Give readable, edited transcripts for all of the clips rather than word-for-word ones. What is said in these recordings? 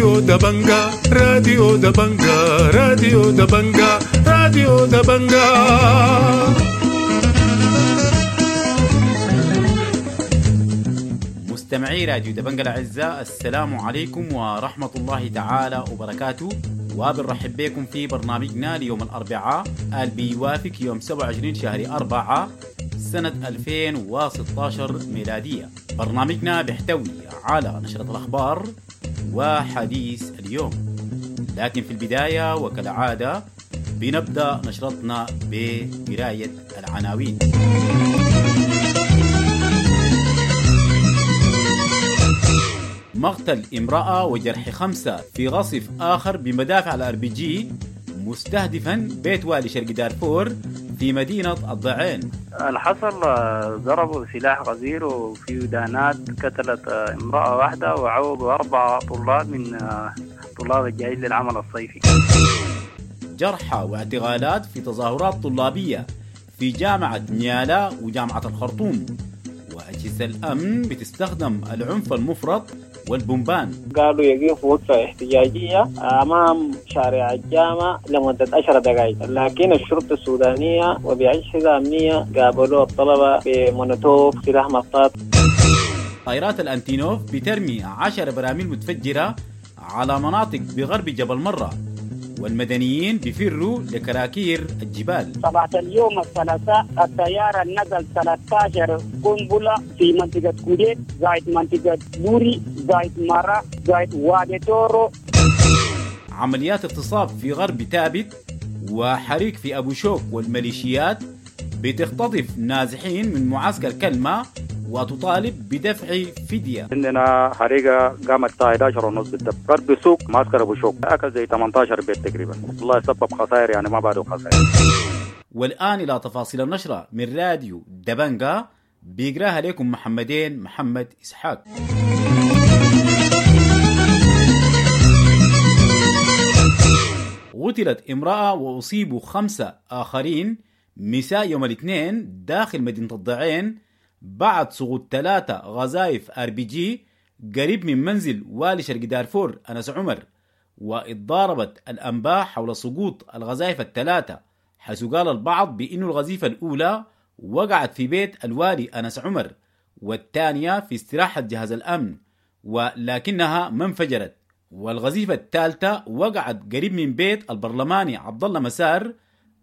راديو دبنجا، راديو دبنجا، راديو دبنجا، راديو دبنجا. مستمعي راديو دبنجا الأعزاء، السلام عليكم ورحمة الله تعالى وبركاته، وبنرحب بكم في برنامجنا ليوم الأربعاء اللي بيوافق يوم 27 شهر 4 سنة 2016 ميلادية. برنامجنا بيحتوي على نشرة الأخبار وحديث اليوم، لكن في البداية وكالعادة بنبدأ نشرتنا بقراية العناوين. مقتل امرأة وجرح 5 في غصف آخر بمدافع الار بي جي مستهدفا بيت والي شرق دارفور في مدينة الضعين. الحصل ضربوا سلاح غزير وفي دانات قتلت امرأة واحدة وعوضوا 4 طلاب من طلاب الجايين للعمل الصيفي. جرحى واعتقالات في تظاهرات طلابية في جامعة نيالا وجامعة الخرطوم، وأجهزة الأمن بتستخدم العنف المفرط والبومبان. قالوا يقفوا وقفة احتجاجية أمام شارع الجامعة لمدة 10 دقائق، لكن الشرطة السودانية وبأجهزة أمنية قابلوا الطلبة بمونوتوف سلاح مطاط. طائرات الأنتينوف بترمي 10 براميل متفجرة على مناطق بغرب جبل مرة، والمدنيين بيفروا لكراكير الجبال. صباح اليوم الثلاثاء الطيارة نزل 13 قنبلة في منطقة كوديت، زايد منطقة بوري، زايد مرة، زايد وادي تورو. عمليات اغتصاب في غرب تابت وحريق في أبو شوك، والميليشيات بتختطف نازحين من معسكر كلمة وتطالب بدفع فدية. عندنا حريقة قامت الساعة 11:30 بالضبط غرب سوق معسكر أبو شوك، أكل زي 18 بيت تقريبا، والله سبب خسائر يعني ما بعده خسائر. والآن إلى تفاصيل النشرة من راديو دبنجا بيقراها لكم محمدين محمد إسحاق. قتلت امرأة وأصيبوا 5 آخرين مساء يوم الاثنين داخل مدينة الضعين بعد سقوط 3 غزايف ار بي جي قريب من منزل والي شرق دارفور أنس عمر. واتضاربت الأنباء حول سقوط الغزايف ال3، حيث قال البعض بأن الغزيفة الأولى وقعت في بيت الوالي أنس عمر، والثانية في استراحة جهاز الأمن ولكنها ما انفجرت، والغزيفة الثالثة وقعت قريب من بيت البرلماني عبد الله مسار،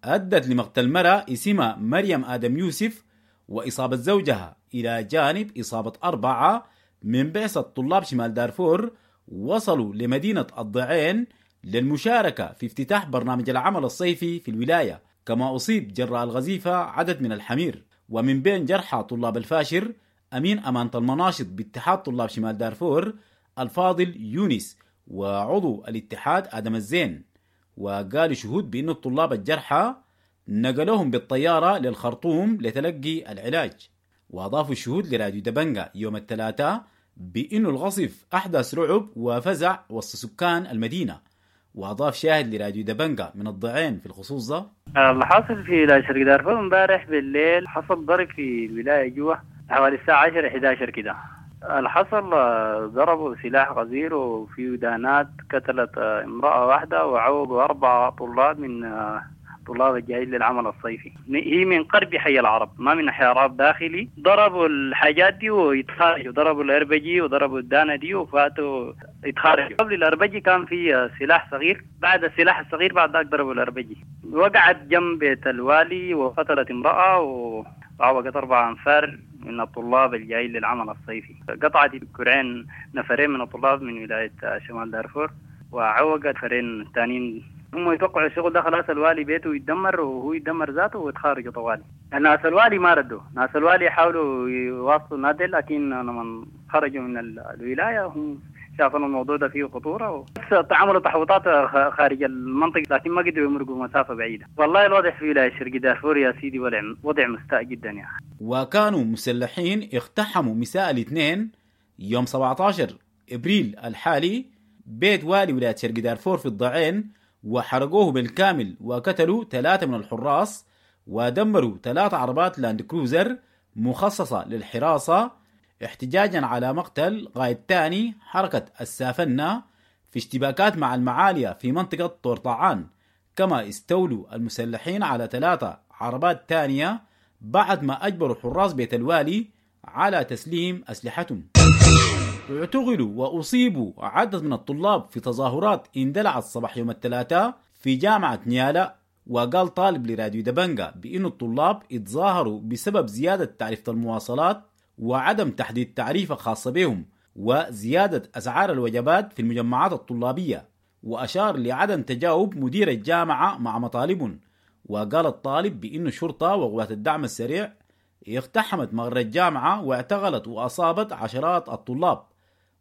أدت لمقتل مرأة اسمها مريم آدم يوسف وإصابة زوجها، إلى جانب إصابة 4 من بعثة طلاب شمال دارفور وصلوا لمدينة الضعين للمشاركة في افتتاح برنامج العمل الصيفي في الولاية. كما أصيب جراء الغزيفة عدد من الحمير. ومن بين جرحى طلاب الفاشر أمين أمانة المناشط باتحاد طلاب شمال دارفور الفاضل يونس وعضو الاتحاد آدم الزين. وقال شهود بأن الطلاب الجرحى نقلوهم بالطيارة للخرطوم لتلقي العلاج. وأضافوا الشهود لراديو دبنجا يوم الثلاثاء بأنه الغصف أحدث رعب وفزع وسط سكان المدينة. وأضاف شاهد لراديو دبنجا من الضعين في الخصوص ده: اللي حصل في شرق دارفور امبارح بالليل حصل ضرب في الولاية جوا حوالي الساعة 10 11 كده. اللي حصل ضربوا سلاح غزير وفي دانات قتلت امرأة واحدة وعوضوا 4 طلاب من طلاب الجايين للعمل الصيفي. هي من قرب حي العرب، ما من حي العرب داخلي. ضربوا الحاجات دي ويتخارجوا، ضربوا الاربجي وضربوا الدانة دي وفاتوا يتخارجوا. قبل الاربجي كان في سلاح صغير، بعد السلاح الصغير بعد ذاك ضربوا الاربجي. وقعت جنب بيت الوالي وقتلت امرأة وعوقت 4 أنفار من الطلاب الجايين للعمل الصيفي. قطعت كرعين نفرين من الطلاب من ولاية شمال دارفور وعوقت فرين ثانيين. هم يتوقعوا الشغل ده خلاص الوالي بيته يتدمر وهو يتدمر ذاته ويتخارجوا طوالي. ناس الوالي ما ردوا، ناس الوالي حاولوا يواصلوا نادل، لكن لما خرجوا من الولاية هم شافوا الموضوع ده فيه خطورة وعملوا تحوطات خارج المنطقة، لكن ما قدروا يمرقوا مسافة بعيدة. والله الوضع في ولاية شرق دارفور يا سيدي وضع مستاء جدا يا أخي. وكانوا مسلحين اقتحموا مساء الاثنين يوم 17 ابريل الحالي بيت والي ولاية شرق دارفور في الضعين وحرقوه بالكامل وقتلوا 3 من الحراس ودمروا 3 عربات لاند كروزر مخصصة للحراسة احتجاجا على مقتل قائد ثاني حركة السافنة في اشتباكات مع المعالية في منطقة طورطعان، كما استولوا المسلحين على 3 عربات تانية بعد ما أجبروا حراس بيت الوالي على تسليم أسلحتهم. اعتقلوا وأصيبوا عدد من الطلاب في تظاهرات اندلعت صباح يوم الثلاثاء في جامعة نيالا. وقال طالب لراديو دبنجا بأن الطلاب اتظاهروا بسبب زيادة تعرفة المواصلات وعدم تحديد تعريفة خاصة بهم وزيادة أسعار الوجبات في المجمعات الطلابية، وأشار لعدم تجاوب مدير الجامعة مع مطالبهم. وقال الطالب بأن الشرطة وقوات الدعم السريع اقتحمت مغر الجامعة واعتقلت وأصابت عشرات الطلاب.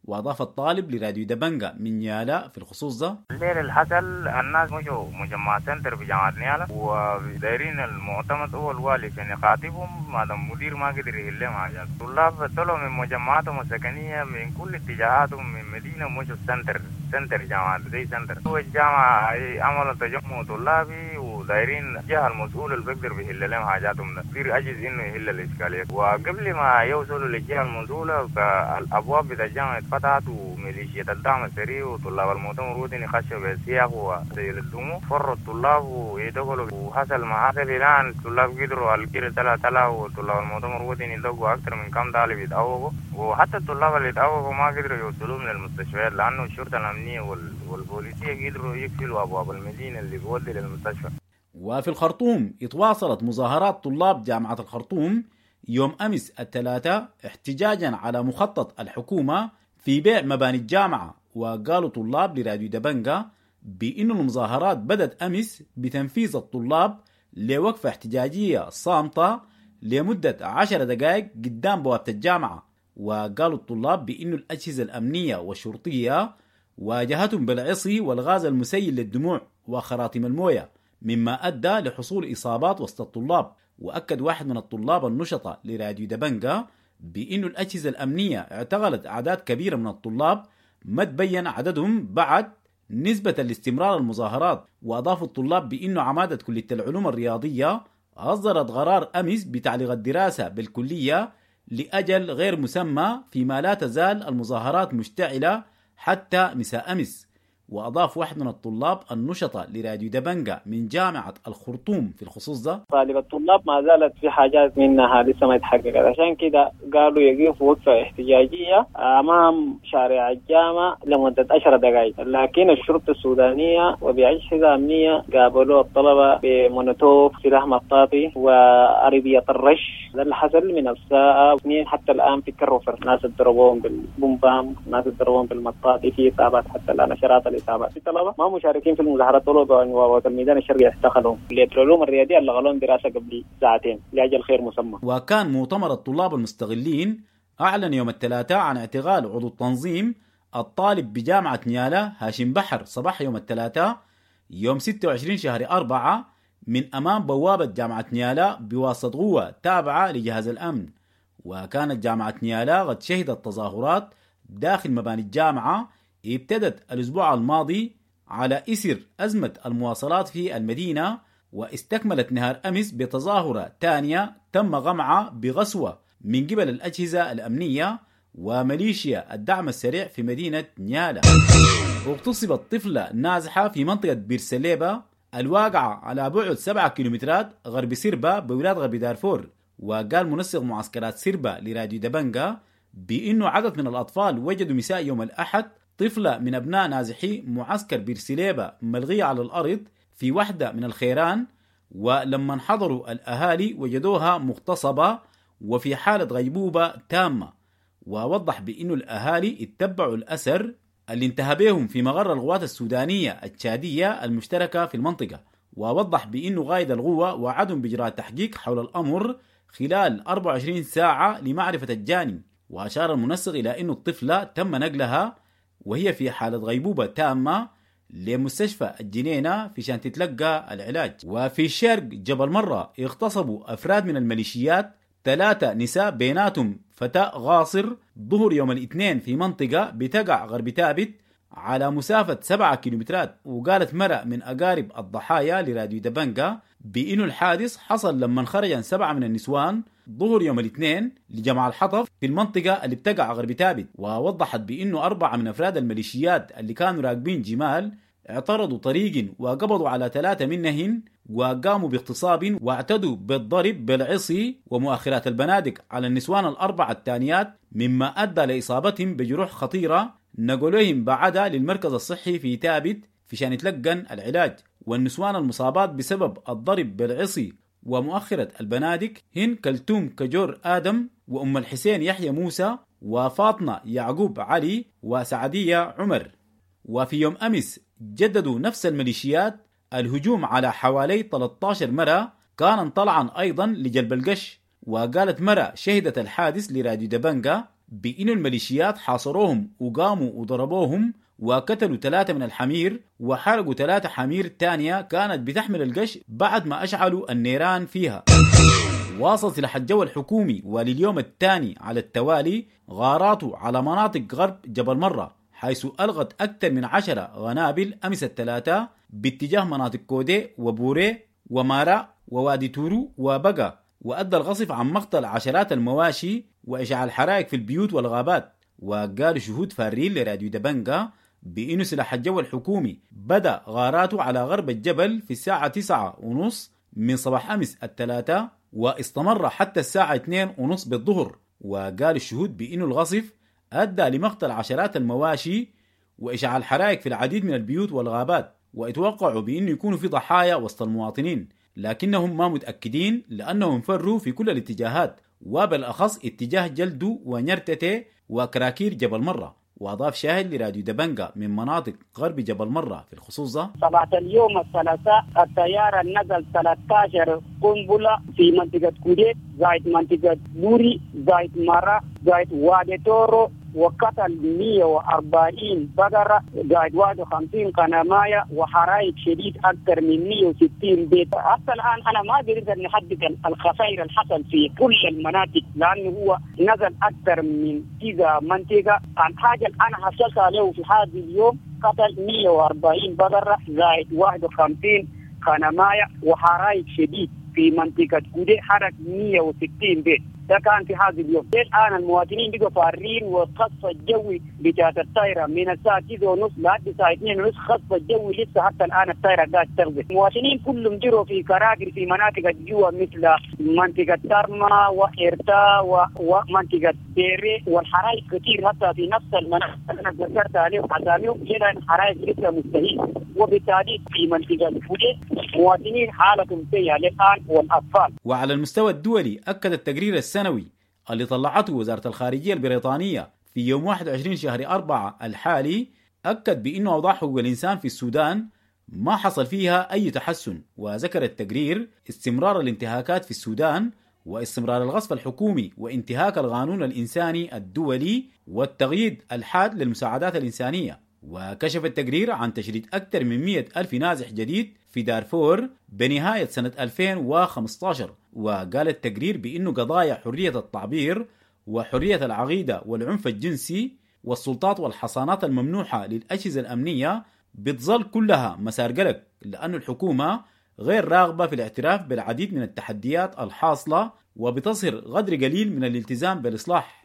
وأضاف الطالب لراديو دبنجا من نيالا في الخصوص ده: الليل الحصل الناس مشوا مجمع سنتر في جامعة نيالا ودايرين المعتمد هو الوالي عشان يخاطبهم، ما دام المدير ما قدر يحل لهم حاجات. الطلاب طلعوا من مجمعاتهم السكنية من كل اتجاهاتهم من مدينة مشوا سنتر جامعة زي سنتر. هو الجامعة عملوا تجمع طلابي ودايرين الجهة المسؤولة اللي بيقدر بيحل لهم حاجاتهم ده، كثير عجز إنه يحل الإشكالية. وقبل ما يوصلوا للجهة المسؤولة الأبواب بتاع الجامعة اتفتحت وميليشيا الدعم السريع وطلاب المؤتمر الوطني خشوا بالسياق وسيل الدموع، فروا الطلاب ويدخلوا وحصل ما حصل. الآن الطلاب قدروا الكير تلا وطلاب المؤتمر الوطني دقوا أكثر من كم طالب يتعوقوا، وحتى الطلاب اللي يتعوقوا ما قدروا يوصلوا من المستشفيات لأنه الشرطة الأمنية والبوليسية قدروا يقفلوا أبواب المدينة اللي بيودي للمستشفى. وفي الخرطوم اتواصلت مظاهرات طلاب جامعة الخرطوم يوم أمس الثلاثاء احتجاجا على مخطط الحكومة في بيع مباني الجامعة. وقالوا طلاب لراديو دبنجا بأن المظاهرات بدأت أمس بتنفيذ الطلاب لوقفة احتجاجية صامتة لمدة 10 دقائق قدام بوابة الجامعة. وقالوا الطلاب بأن الأجهزة الأمنية والشرطية واجهتهم بالعصي والغاز المسيل للدموع وخراطيم الموية، مما أدى لحصول إصابات وسط الطلاب. وأكد واحد من الطلاب النشطة لراديو دبنجا بأن الأجهزة الأمنية اعتقلت أعداد كبيرة من الطلاب ما تبين عددهم بعد نسبة لاستمرار المظاهرات. وأضاف الطلاب بأن عمادة كلية العلوم الرياضية أصدرت قرار أمس بتعليق الدراسة بالكلية لأجل غير مسمى، فيما لا تزال المظاهرات مشتعلة حتى مساء أمس. وأضاف واحد من الطلاب النشطة لراديو دبنجا من جامعة الخرطوم في الخصوص ده: طالب الطلاب ما زالت في حاجات منها لسه ما اتحققت، عشان كده قالوا يقفوا وقفة احتجاجية أمام شارع الجامعة لمدة 10 دقائق، لكن الشرطة السودانية وبأجهزة أمنية قابلوا الطلبة بمونوتوف، سلاح مطاطي، وعربية الرش. ده اللي حصل من الساعة 2 حتى الآن في كروفر، ناس ضربوهم بالبومبام، ناس ضربوهم بالمطاطي، في إصابات حتى الآن، عشرات الإصابات. في طلبة ما مشاركين في المظاهرات، طلبة الميدان الشرقي اعتقلوا كلية العلوم الرياضية اللي غلون دراسة قبل ساعتين لأجل خير مسمى. وكان مؤتمر الطلاب المستغلين أعلن يوم الثلاثاء عن اعتقال عضو التنظيم الطالب بجامعة نيالا هاشم بحر صباح يوم الثلاثاء يوم 26 شهر 4 من أمام بوابة جامعة نيالا بواسطة قوة تابعة لجهاز الأمن. وكانت جامعة نيالا قد شهدت تظاهرات داخل مباني الجامعة ابتدت الأسبوع الماضي على إثر أزمة المواصلات في المدينة، واستكملت نهار أمس بتظاهرة ثانية تم غمعها بغسوة من قبل الأجهزة الأمنية وميليشيا الدعم السريع في مدينة نيالا. اغتصبت طفلة نازحة في منطقة بيرسليبا الواقعة على بعد 7 كيلومترات غرب سيربا بولاية غرب دارفور. وقال منسق معسكرات سيربا لراديو دبنجا بأنه عدد من الأطفال وجدوا مساء يوم الأحد طفلة من أبناء نازحي معسكر بيرسليبا ملغية على الأرض في واحدة من الخيران، ولما انحضروا الأهالي وجدوها مغتصبة وفي حالة غيبوبة تامة. ووضح بأنه الأهالي اتبعوا الأثر اللي انتهى بهم في مغر القوات السودانية التشادية المشتركة في المنطقة. ووضح بأنه قائد القوة وعدهم بإجراء تحقيق حول الأمر خلال 24 ساعة لمعرفة الجاني. وأشار المنسق إلى أن الطفلة تم نقلها وهي في حالة غيبوبة تامة لمستشفى الجنينة في شان تتلقى العلاج. وفي شرق جبل مرة اغتصبوا أفراد من الميليشيات 3 نساء بيناتهم فتاة غاصر ظهر يوم الاثنين في منطقة بتقع غرب تابت على مسافة 7 كيلومترات. وقالت مرأة من أقارب الضحايا لراديو دبنجا بإنه الحادث حصل لما خرج 7 من النسوان ظهر يوم الاثنين لجمع الحطب في المنطقة اللي بتقع غرب تابت. ووضحت بأنه 4 من أفراد الميليشيات اللي كانوا راكبين جمال اعترضوا طريق وقبضوا على 3 منهن وقاموا باغتصاب واعتدوا بالضرب بالعصي ومؤخرات البنادق على النسوان ال4 الثانيات، مما أدى لإصابتهم بجروح خطيرة نقلوهم بعدها للمركز الصحي في تابت في شان يتلقن العلاج. والنسوان المصابات بسبب الضرب بالعصي ومؤخرة البنادق هن كلثوم كجور آدم وأم الحسين يحيى موسى وفاطمة يعقوب علي وسعدية عمر. وفي يوم أمس جددوا نفس الميليشيات الهجوم على حوالي 13 مرة كان طلعا أيضا لجلب القش. وقالت مرة شهدت الحادث لراديو دبنجا بأن الميليشيات حاصروهم وقاموا وضربوهم وقتلوا 3 من الحمير وحرقوا 3 حمير تانية كانت بتحمل القش بعد ما أشعلوا النيران فيها. واصل سلاح الجو الحكومي ولليوم الثاني على التوالي غاراته على مناطق غرب جبل مرة، حيث ألغت أكثر من 10 غنابل أمس الثلاثاء باتجاه مناطق كودي وبوري ومارا ووادي تورو وبقى، وأدى الغصف عن مقتل عشرات المواشي وإشعال حرائق في البيوت والغابات. وقال شهود فارين لراديو دبنجا بأنه سلاح الجو الحكومي بدأ غاراته على غرب الجبل في الساعة 9:30 من صباح أمس الثلاثاء واستمر حتى الساعة 2:30 بالظهر. وقال الشهود بأنه الغصف أدى لمقتل عشرات المواشي وإشعال حرائق في العديد من البيوت والغابات، واتوقعوا بأنه يكونوا في ضحايا وسط المواطنين، لكنهم ما متأكدين لأنهم فروا في كل الاتجاهات وبالأخص اتجاه جلدو ونرتتي وكراكير جبل مرة. وأضاف شاهد لراديو دبنجا من مناطق غرب جبل مرة في الخصوص ده: صباح اليوم الثلاثاء الطيارة نزل 13 قنبلة في منطقة كوديت زائد منطقة بوري زائد مرة زائد وادي تورو، وقتل 140 بقرة زائد 51 قنماية وحرائق شديد أكثر من 160 بيت. حتى الآن أنا ما قدرت أن أحدد الخسائر اللي حصل في كل المناطق لأنه هو نزل أكثر من كذا منطقة. عن حاجة أنا حصلت عليه في هذا اليوم قتل 140 بقرة زائد 51 قنماية وحرائق شديد في منطقة كودي حرق 160 بيت. ده كان في هذا اليوم. الآن المواطنين بقوا فارين، والقصف الجوي بتاعت الطائرة من الساعة 9:30 لحد الساعة 2:30 قصف الجوي لسه حتى الآن الطائرة قاعدة تغزي. المواطنين كلهم جروا في كراكر في مناطق الجوا مثل منطقة ترما وإرتا ومنطقة بيري، والحرائق كثير حتى في نفس المناطق اللي أنا ذكرت عليهم أساميهم كده حرائق لسه مستهيل. وبالتالي في منطقة الفوجي مواطنين حالتهم سيئة الآن والأطفال. وعلى المستوى الدولي أكد التقرير السنوي اللي طلعته وزارة الخارجية البريطانية في يوم 21 شهر 4 الحالي أكد بأنه أوضاع حقوق الإنسان في السودان ما حصل فيها أي تحسن. وذكر التقرير استمرار الانتهاكات في السودان واستمرار الغصب الحكومي وانتهاك القانون الإنساني الدولي والتغييد الحاد للمساعدات الإنسانية. وكشف التقرير عن تشريد أكثر من 100,000 نازح جديد في دارفور بنهاية سنة 2015. وقال التقرير بأنه قضايا حرية التعبير وحرية العقيدة والعنف الجنسي والسلطات والحصانات الممنوحة للأجهزة الأمنية بتظل كلها مسار قلق، لأن الحكومة غير راغبة في الاعتراف بالعديد من التحديات الحاصلة وبتصهر غدر قليل من الالتزام بالإصلاح.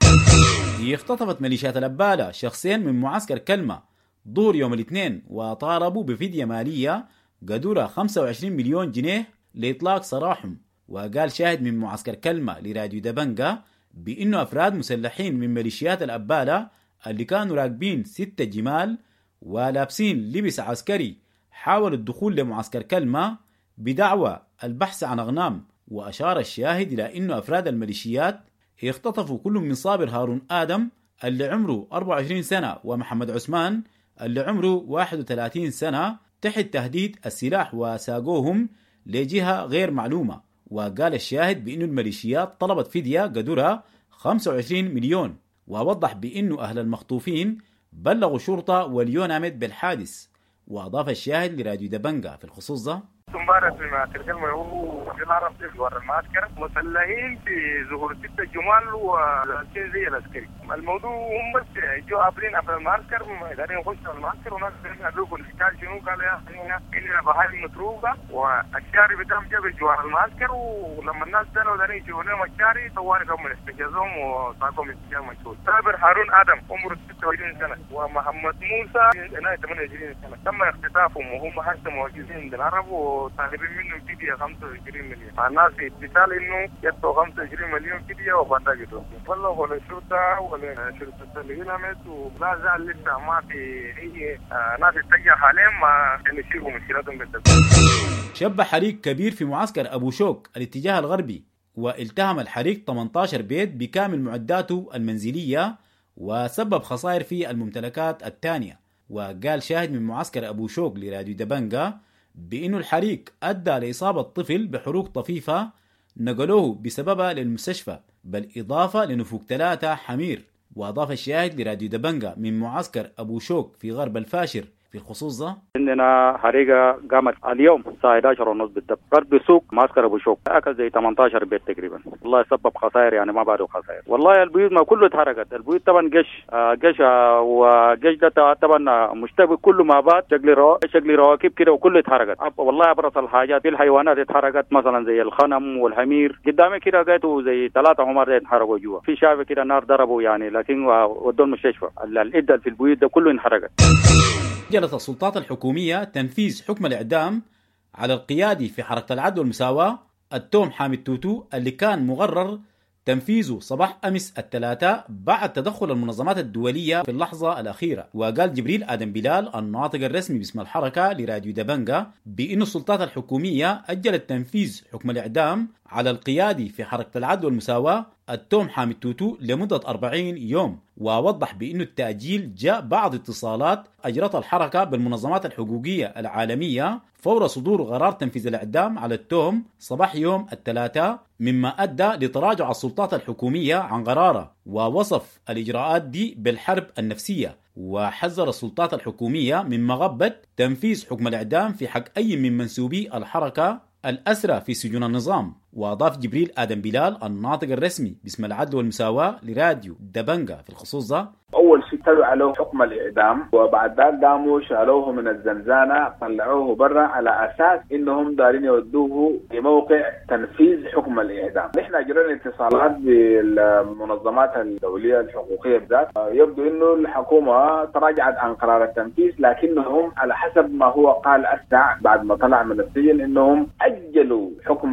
اختطفت ميليشيات الأبالة شخصين من معسكر كلمة ظهر يوم الاثنين وطالبوا بفدية مالية قدرها 25 مليون جنيه لإطلاق سراحهم. وقال شاهد من معسكر كلمة لراديو دبنجا بأنه أفراد مسلحين من ميليشيات الأبالة اللي كانوا راكبين 6 جمال ولابسين لبس عسكري حاولوا الدخول لمعسكر كلمة بدعوى البحث عن أغنام. وأشار الشاهد إلى أنه أفراد الميليشيات اختطفوا كل من صابر هارون آدم اللي عمره 24 سنة ومحمد عثمان اللي عمره 31 سنة تحت تهديد السلاح وساقوهم لجهة غير معلومة. وقال الشاهد بأن الميليشيات طلبت فدية قدرها 25 مليون، ووضح بأنه أهل المخطوفين بلغوا الشرطة واليوناميد بالحادث. وأضاف الشاهد لراديو دبنجا في الخصوص ده: امبارح في معسكر هو في العرب في ورا المعسكر مسلحين في ظهور 6 جمال ولابسين زي العسكري. الموضوع هم بس جو عابرين عبر المعسكر، دارين يخشوا المعسكر وناس قالوا لهم الاشكال شنو؟ قالوا يا اخي هنا بهايم متروقه والشارع بتاعهم جاب جوار المعسكر، ولما الناس داروا دارين يشوفوا لهم الشارع طوالي هم احتجزوهم وطاقهم استجابه مجهول. صابر هارون ادم عمره 26 سنة ومحمد موسى 28 سنة تم اختطافهم وهم حتى موجودين عند العرب وطالبين منهم فدية 25 مليون. الناس في اتصال انه يدفعوا 25 مليون فدية وبعد كده بلغوا للشرطة ولا شرطه الهلمت، ولا زال لسه ما في اي ناس اتجه حاليا ما يشيلوا مشكلتهم بالتدخل. شب حريق كبير في معسكر أبو شوك الاتجاه الغربي، والتهم الحريق 18 بيت بكامل معداته المنزلية وسبب خسائر في الممتلكات الثانية. وقال شاهد من معسكر أبو شوك لراديو دبنجا بأنه الحريق أدى لإصابة طفل بحروق طفيفة نقلوه بسببها للمستشفى، بالإضافة لنفوق 3 حمير. وأضاف الشاهد لراديو دبنجا من معسكر أبو شوك في غرب الفاشر في الخصوص ده: عندنا حريقة قامت اليوم الساعة 11:30 بالضبط غرب سوق معسكر أبو شوك، أكل زي 18 بيت تقريبا. والله سبب خسائر يعني ما بعده خسائر. والله البيوت ما كله اتحرقت، البيوت طبعا قش قش وقش ده طبعا مشتبه كله مع بعض، شكل رواكب كده وكله اتحرقت. والله أبرز الحاجات في الحيوانات اتحرقت، مثلا زي الخنم والحمير قدامي كده لقيته زي 3 حمار اتحرقوا جوا، في شافه كده نار ضربوا يعني، لكن ودوا المستشفى. العدة في البيوت ده كله انحرقت. أجلت السلطات الحكومية تنفيذ حكم الإعدام على القيادي في حركة العدل والمساواة التوم حامد توتو اللي كان مقرر تنفيذه صباح أمس الثلاثاء بعد تدخل المنظمات الدولية في اللحظة الأخيرة. وقال جبريل آدم بلال الناطق الرسمي باسم الحركة لراديو دبنجا بأن السلطات الحكومية أجلت تنفيذ حكم الإعدام على القيادي في حركة العدل والمساواة التوم حامد توتو لمدة 40 يوم، ووضح بأن التأجيل جاء بعد اتصالات أجرتها الحركة بالمنظمات الحقوقية العالمية فور صدور قرار تنفيذ الإعدام على التوم صباح يوم الثلاثاء، مما أدى لتراجع السلطات الحكومية عن قراره، ووصف الإجراءات دي بالحرب النفسية. وحذر السلطات الحكومية من مغبة تنفيذ حكم الإعدام في حق أي من منسوبي الحركة الأسرى في سجون النظام. وأضاف جبريل آدم بلال الناطق الرسمي باسم العدل والمساواة لراديو دبنجا في الخصوص ده: أول شيء تلوا عليه حكم الإعدام، وبعد ذلك قاموا شالوه من الزنزانة طلعوه برا على أساس إنهم دارين يودوه لموقع تنفيذ حكم الإعدام. نحن أجرينا اتصالات بالمنظمات الدولية الحقوقية بالذات، يبدو إنه الحكومة تراجعت عن قرار التنفيذ، لكنهم على حسب ما هو قال أسع بعد ما طلع من السجن إنهم أجلوا حكم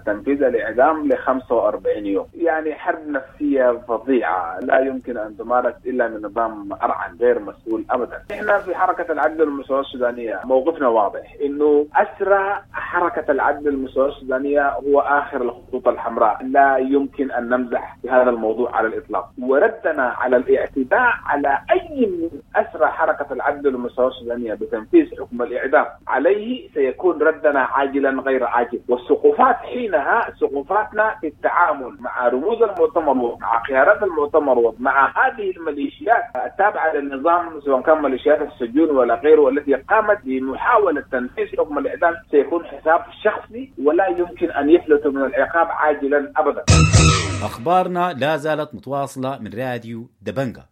تنفيذ الإعدام ل 45 يوم. يعني حرب نفسية فظيعة لا يمكن أن تمارس إلا من نظام أرعن غير مسؤول أبدا. إحنا في حركة العدل والمساواة السودانية موقفنا واضح، إنه أسرى حركة العدل والمساواة السودانية هو آخر الخطوط الحمراء، لا يمكن أن نمزح بهذا الموضوع على الإطلاق. وردنا على الاعتداء على أي من أسرى حركة العدل والمساواة السودانية بتنفيذ حكم الإعدام عليه سيكون ردنا عاجلا غير عاجل. والسقوفات حينها سقوفاتنا في التعامل مع رموز المؤتمر ومع قيادات المؤتمر ومع هذه الميليشيات التابعة للنظام، سواء كان ميليشيات السجون ولا غيره، والتي قامت بمحاولة تنفيذ حكم الإعدام، سيكون حساب شخصي ولا يمكن أن يفلت من العقاب عاجلا أبدا. أخبارنا لا زالت متواصلة من راديو دبنجا.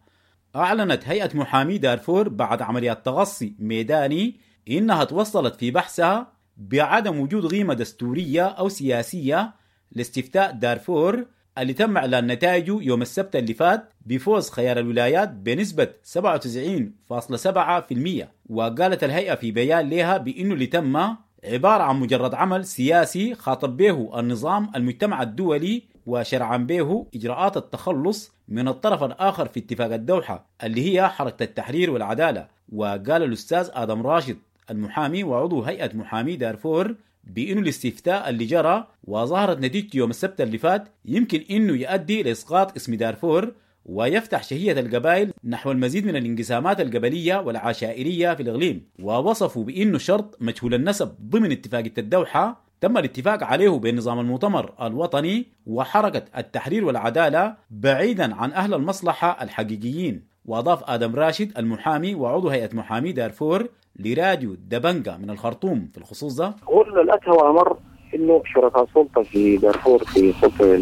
أعلنت هيئة محامي دارفور بعد عمليات تغصي ميداني إنها توصلت في بحثها بعدم وجود قيمة دستورية أو سياسية لاستفتاء دارفور اللي تم إعلان نتائجه يوم السبت اللي فات بفوز خيار الولايات بنسبة 97.7%. وقالت الهيئة في بيان لها بأنه اللي تم عبارة عن مجرد عمل سياسي خاطب به النظام المجتمع الدولي وشرعا به إجراءات التخلص من الطرف الآخر في اتفاق الدوحة اللي هي حركة التحرير والعدالة. وقال الأستاذ آدم راشد المحامي وعضو هيئة محامي دارفور بأنه الاستفتاء اللي جرى وظهرت نتيجته يوم السبت اللي فات يمكن أنه يؤدي لإسقاط اسم دارفور ويفتح شهية القبائل نحو المزيد من الانقسامات القبلية والعشائرية في الإقليم. ووصفوا بأنه شرط مجهول النسب ضمن اتفاقية الدوحة تم الاتفاق عليه بين نظام المؤتمر الوطني وحركة التحرير والعدالة بعيدا عن أهل المصلحة الحقيقيين. وأضاف آدم راشد المحامي وعضو هيئة محامي دارفور لراديو دبنجا من الخرطوم في الخصوص ده: هو الأدهى وأمر انه شركاء السلطة في دارفور في السلطة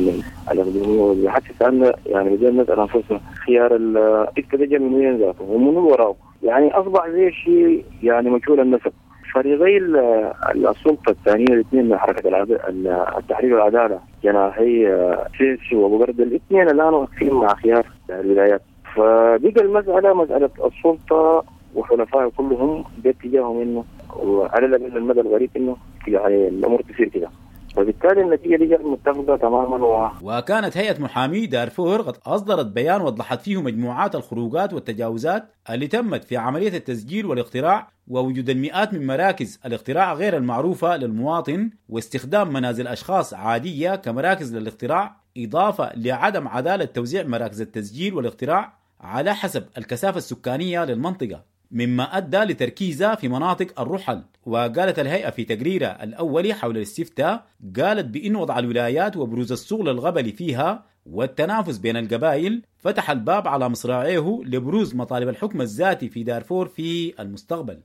الاقليمية، حتى سالنا يعني بدينا نسال انفسنا خيار الاستراتيجية من وين ذاته ومن وراه، يعني اصبح زي شيء يعني مجهول النسب. فريقي السلطة الثانية الاثنين من حركة التحرير والعدالة جناحي سيسي وابو برد، الاثنين الان واقفين مع خيار الولايات. فبقى المسالة مسالة السلطة وحلفائه كلهم باتجاههم انه وعلى الاقل المدى القريب انه يعني الامور تصير كده، وبالتالي النتيجة دي متفقه تماما. وكانت هيئة محامي دارفور قد اصدرت بيان وضحت فيه مجموعات الخروجات والتجاوزات اللي تمت في عملية التسجيل والاقتراع، ووجود المئات من مراكز الاقتراع غير المعروفة للمواطن، واستخدام منازل اشخاص عادية كمراكز للاقتراع، اضافه لعدم عدالة توزيع مراكز التسجيل والاقتراع على حسب الكثافة السكانية للمنطقة، مما أدى لتركيزها في مناطق الرحل. وقالت الهيئة في تقريرها الأولي حول الاستفتاء، قالت بأن وضع الولايات وبروز الشغل الغبلي فيها والتنافس بين القبائل فتح الباب على مصراعيه لبروز مطالب الحكم الذاتي في دارفور في المستقبل.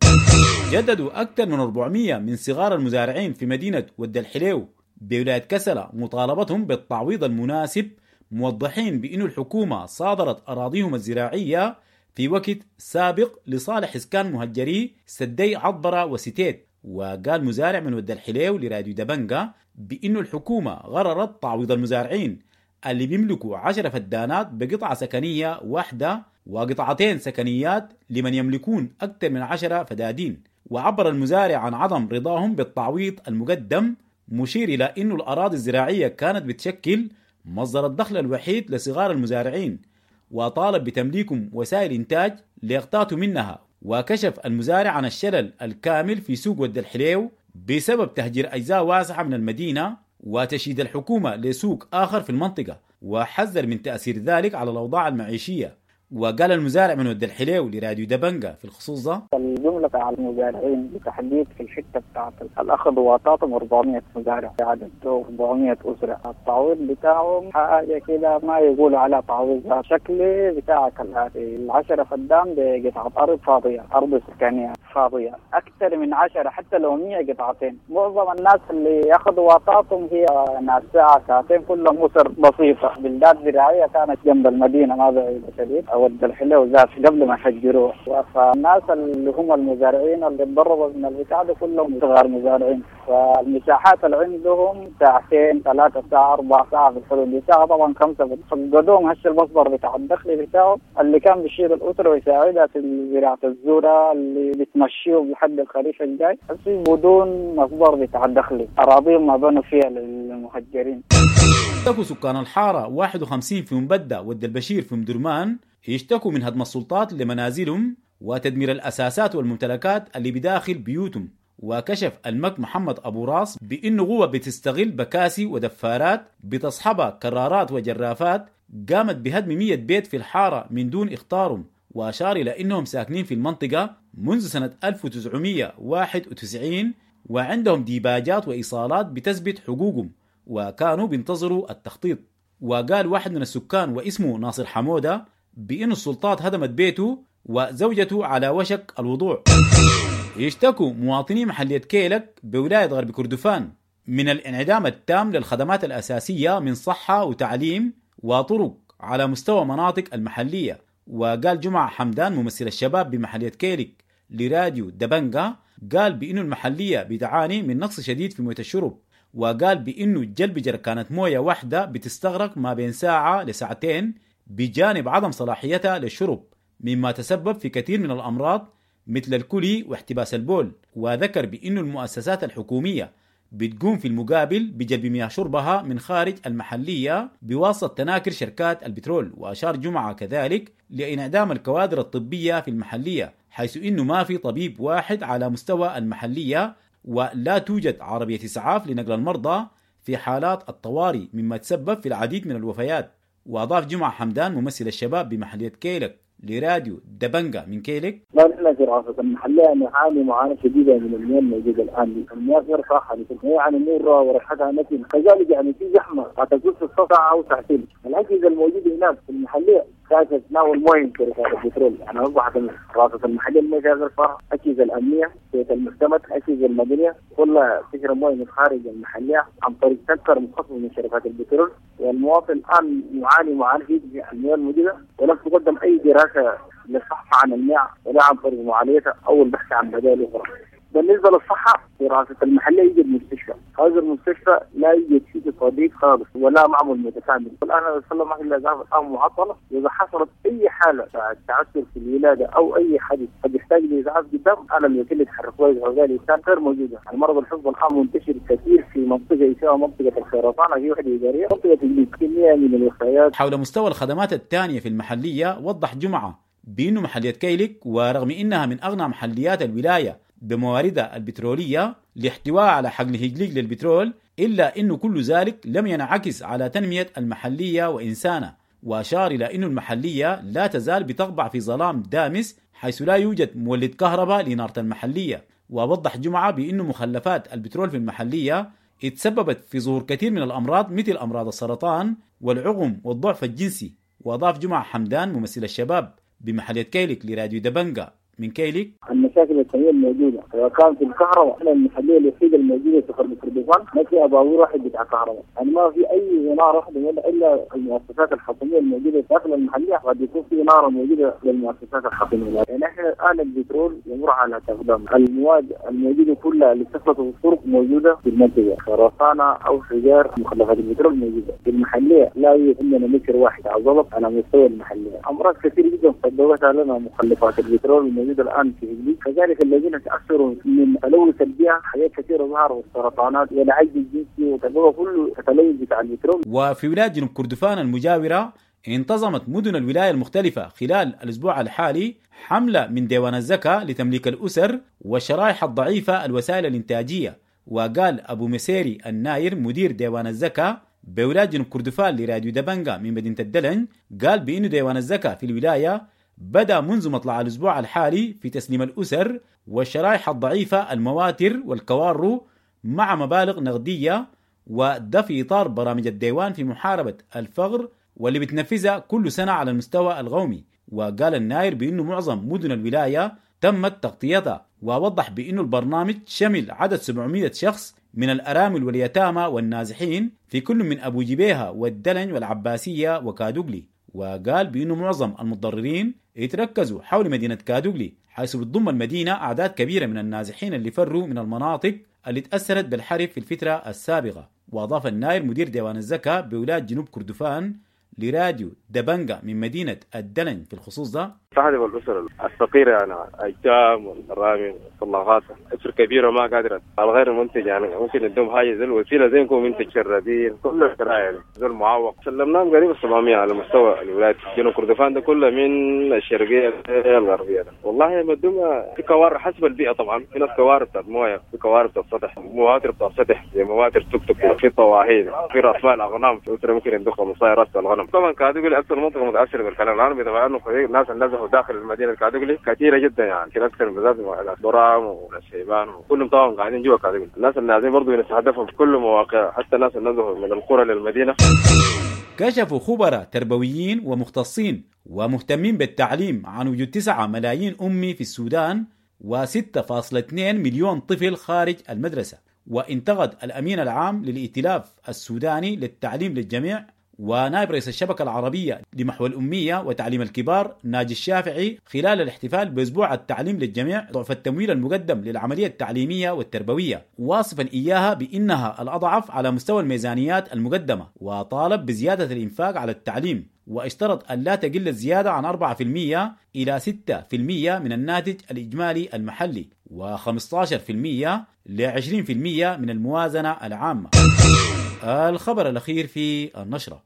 جددوا أكثر من 400 من صغار المزارعين في مدينة ود الحليو بولاية كسلة مطالبتهم بالتعويض المناسب، موضحين بأن الحكومة صادرت أراضيهم الزراعية في وقت سابق لصالح إسكان مهجري سدي عطبرة وستيت. وقال مزارع من ود الحليو لراديو دبنجا بأنه الحكومة غررت تعويض المزارعين اللي بيملكوا 10 فدانات بقطعة سكنية واحدة وقطعتين سكنيات لمن يملكون أكثر من 10 فدادين. وعبر المزارع عن عدم رضاهم بالتعويض المقدم، مشير إلى أنه الأراضي الزراعية كانت بتشكل مصدر الدخل الوحيد لصغار المزارعين، وطالب بتمليكهم وسائل إنتاج ليقتاتوا منها. وكشف المزارع عن الشلل الكامل في سوق ود الحليو بسبب تهجير أجزاء واسعة من المدينة وتشييد الحكومة لسوق آخر في المنطقة، وحذر من تأثير ذلك على الأوضاع المعيشية. وقال المزارع من ود الحليو لراديو دبنجا في الخصوص ده: الجملة على المزارعين بالتحديد في الحتة بتاعت الأخذ وطاطم 400 مزارع، عدد 400 أسرة. التعويض بتاعهم حاجة كده ما يقولوا على تعويض، شكلي بتاعك الآتي: 10 فدان بقطعة أرض فاضية، أرض سكانية فاضية، أكثر من 10 حتى لو 100 قطعتين. معظم الناس اللي ياخذوا وطاطم هي ناس ساعة ساعتين، كلهم أسر بسيطة، بلدات زراعية كانت جنب المدينة ما بعيدة شديد أو الحلو ذات قبل ما يحجروه. فالناس اللي هم المزارعين اللي تضربوا من البتاع ده كلهم صغار مزارعين، فالمساحات اللي عندهم ساعتين 3 ساعة 4 ساعة في الحدود دي، ساعة طبعا 5 فقدوهم هش المصدر بتاع الدخل بتاعه اللي كان بيشيل الأسرة ويساعدها في زراعة الذرة اللي بتمشيه لحد الخريف الجاي، بس بدون مصدر بتاع الدخل، أراضيهم ما بنوا فيها للمهجرين. اشتكوا سكان الحارة 51 في مبدة ود البشير في مدرمان يشتكوا من هدم السلطات لمنازلهم وتدمير الأساسات والممتلكات اللي بداخل بيوتهم. وكشف المك محمد أبو راس بأنه قوة بتستغل بكاسي ودفارات بتصحبها كرارات وجرافات قامت بهدم 100 بيت في الحارة من دون إخطارهم، وأشار إلى أنهم ساكنين في المنطقة منذ سنة 1991 وعندهم ديباجات وإيصالات بتثبت حقوقهم، وكانوا بينتظروا التخطيط. وقال واحد من السكان واسمه ناصر حمودة بأن السلطات هدمت بيته وزوجته على وشك الوضوع. يشتكوا مواطني محلية كيلك بولاية غرب كردفان من الانعدام التام للخدمات الأساسية من صحة وتعليم وطرق على مستوى مناطق المحلية. وقال جمعة حمدان ممثل الشباب بمحلية كيلك لراديو دبنجا، قال بأنه المحلية بتعاني من نقص شديد في موية الشرب، وقال بأنه جلب جركانة موية واحدة بتستغرق ما بين ساعة لساعتين بجانب عدم صلاحيتها للشرب، مما تسبب في كثير من الأمراض مثل الكلي واحتباس البول. وذكر بأن المؤسسات الحكومية بتقوم في المقابل بجلب مياه شربها من خارج المحلية بواسطة تناكر شركات البترول. وأشار جمعة كذلك لانعدام الكوادر الطبية في المحلية، حيث إنه ما في طبيب واحد على مستوى المحلية، ولا توجد عربية إسعاف لنقل المرضى في حالات الطوارئ، مما تسبب في العديد من الوفيات. وأضاف جمعة حمدان ممثل الشباب بمحلية كيلك لراديو دبنجا من كيلك: لا نحن في رئاسة المحلية نعاني معاناة شديدة من المياه الموجودة الآن، المياه غير صالحة يعني مرة وريحتها نتن، كذلك يعني في زحمة هتكون في الساعة أو ساعتين. الأجهزة الموجودة هناك في المحلية تحتاج تتناول مويه من شركات البترول. يعني اصبحت رابطه المحلية المويه فيها غير صالحه، اجهزة الامنية، بيت المعتمد، اجهزة المدنية كلها تشرب مويه من خارج المحلية عن طريق تنكر مخصص من شركات البترول. والمواطن الان يعاني معاناة في المياه الموجودة، ولم تقدم اي دراسة للصحة عن المياه ولا عن طريق معالجتها او البحث عن بدائل اخرى. بالنسبة للصحة في رئاسة المحلية يوجد مستشفى، هذا المستشفى لا يوجد فيه طبيب خالص ولا معمل متكامل. الان انا ما الاسعاف الان معطلة، واذا حصلت اي حاله تعثر في الولادة او اي حدث قد يحتاج لاسعاف قدام، انا الوكيل يتحرك له الانسان غير موجودة. المرض الحفظ الان منتشر كثير في منطقة اسمها منطقة الخيرطانه في وحده ادارية، منطقة تجليد كمية من الوفيات. حول مستوى الخدمات الثانية في المحلية، وضح جمعه بأنه محلية كيلك ورغم إنها من أغنى محليات الولاية بمواردها البترولية لاحتواء على حقل هجليج للبترول، إلا أنه كل ذلك لم ينعكس على تنمية المحلية وإنسانها. وأشار إلى أن المحلية لا تزال بتقبع في ظلام دامس حيث لا يوجد مولد كهرباء لإنارة المحلية. ووضح جمعة بأن مخلفات البترول في المحلية اتسببت في ظهور كثير من الأمراض مثل أمراض السرطان والعقم والضعف الجنسي. وأضاف جمعة حمدان ممثل الشباب بمحلية كيلك لراديو دبنجا من كيلك: المشاكل الفنية الموجودة سواء كان في الكهرباء، احنا المحلية الوحيدة الموجودة في غرب كردفان ما فيها بابور واحد بتاع كهرباء، يعني ما في اي انارة واحدة الا المؤسسات الحكومية الموجودة داخل المحلية، قد يكون في انارة موجودة للمؤسسات الحكومية. يعني احنا الان البترول يمر على تقدم، المواد الموجودة كلها اللي تخلط الطرق موجودة في المنطقة، خرسانه او حجار مخلفات البترول موجودة في المحلية، لا يوجد عندنا متر واحد على الزلط على مستوى المحلية. امراض كثيرة جدا سببتها لنا مخلفات البترول الموجودة الان في هجليج، كذلك الذين تاثروا من تلوث البيئة حاجات كثيرة ظهرت، والسرطانات والعجز الجنسي وتلوث كله التلوث بتاع البترول. وفي ولاية جنوب كردفان المجاورة انتظمت مدن الولاية المختلفة خلال الأسبوع الحالي حملة من ديوان الزكاة لتمليك الأسر والشرائح الضعيفة الوسائل الإنتاجية. وقال أبو مسيري الناير مدير ديوان الزكاة بولاية جنوب كردفان لراديو دبنجا من مدينة الدلن، قال بأن ديوان الزكاة في الولاية بدأ منذ مطلع الأسبوع الحالي في تسليم الأسر والشرائح الضعيفة المواتر والكوارو مع مبالغ نقدية، وده في إطار برامج الديوان في محاربة الفقر واللي بتنفذها كل سنة على المستوى القومي. وقال الناير بأنه معظم مدن الولاية تمت تغطيتها، ووضح بأنه البرنامج شمل عدد 700 شخص من الأرامل واليتامى والنازحين في كل من أبو جبيهة والدلن والعباسية وكادوغلي. وقال بأنه معظم المتضررين يتركزوا حول مدينة كادوغلي، حيث بتضم المدينة أعداد كبيرة من النازحين اللي فروا من المناطق اللي تأثرت بالحرب في الفترة السابقة. وأضاف الناير مدير ديوان الزكاة بولاية جنوب كردفان لراديو دبنجا من مدينة الدلن في الخصوص ده: تستهدف الأسر الفقيرة، يعني أيتام والأرامل والطلاقات، أسر كبيرة ما قادرة الغير منتج، يعني ممكن ندوم حاجة زي الوسيلة زي نكون منتج شرابين كل الشرايع يعني زي المعوق. سلمناهم قريب 700 على مستوى الولايات جنوب كردفان ده كله من الشرقية للغربية ده. والله مدوم في كوارث حسب البيئة طبعا، في ناس كوارث بتاعت مويه، في كوارث بتاعت سطح، مواتر بتاعت سطح زي مواتر توك توك، في طواحين، في راس مال أغنام، في أسرة ممكن يندخل 15 راس الغنم. طبعا كادوغلي أكثر منطقة متأثرة بالكلام العربي طبعا، إنه الناس اللي نزحوا داخل المدينة الكادوغلي كثيرة جدا، يعني كثير اكثر بالذات البرام والشيبان وكلهم طبعا قاعدين جوا كادوغلي. الناس النازلين برضه يستهدفهم في كل مواقع، حتى الناس اللي نزلوا من القرى للمدينة. كشفوا خبراء تربويين ومختصين ومهتمين بالتعليم عن وجود 9 ملايين أمي في السودان و6.2 مليون طفل خارج المدرسة. وانتقد الأمين العام للائتلاف السوداني للتعليم للجميع ونائب رئيس الشبكة العربية لمحو الأمية وتعليم الكبار ناجي الشافعي خلال الاحتفال بأسبوع التعليم للجميع ضعف التمويل المقدم للعملية التعليمية والتربوية، واصفا إياها بأنها الأضعف على مستوى الميزانيات المقدمة، وطالب بزيادة الإنفاق على التعليم، واشترط أن لا تقل الزيادة عن 4% إلى 6% من الناتج الإجمالي المحلي و15% ل 20% من الموازنة العامة. الخبر الأخير في النشرة: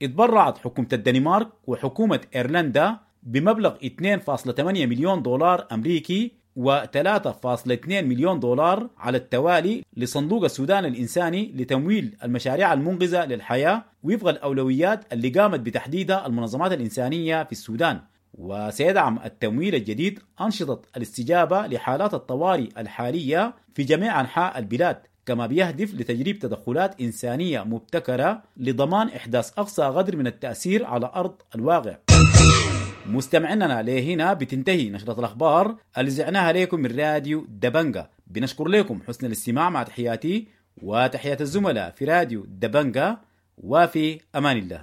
اتبرعت حكومة الدنمارك وحكومة إيرلندا بمبلغ 2.8 مليون دولار أمريكي و3.2 مليون دولار على التوالي لصندوق السودان الإنساني لتمويل المشاريع المنقذة للحياة وفق الأولويات اللي قامت بتحديدها المنظمات الإنسانية في السودان. وسيدعم التمويل الجديد أنشطة الاستجابة لحالات الطوارئ الحالية في جميع أنحاء البلاد. كما بيهدف لتجريب تدخلات إنسانية مبتكرة لضمان إحداث أقصى قدر من التأثير على أرض الواقع. مستمعينا لهنا بتنتهي نشرة الأخبار اللي زعناها لكم من راديو دبنجا. بنشكر لكم حسن الاستماع، مع تحياتي وتحيات الزملاء في راديو دبنجا، وفي أمان الله.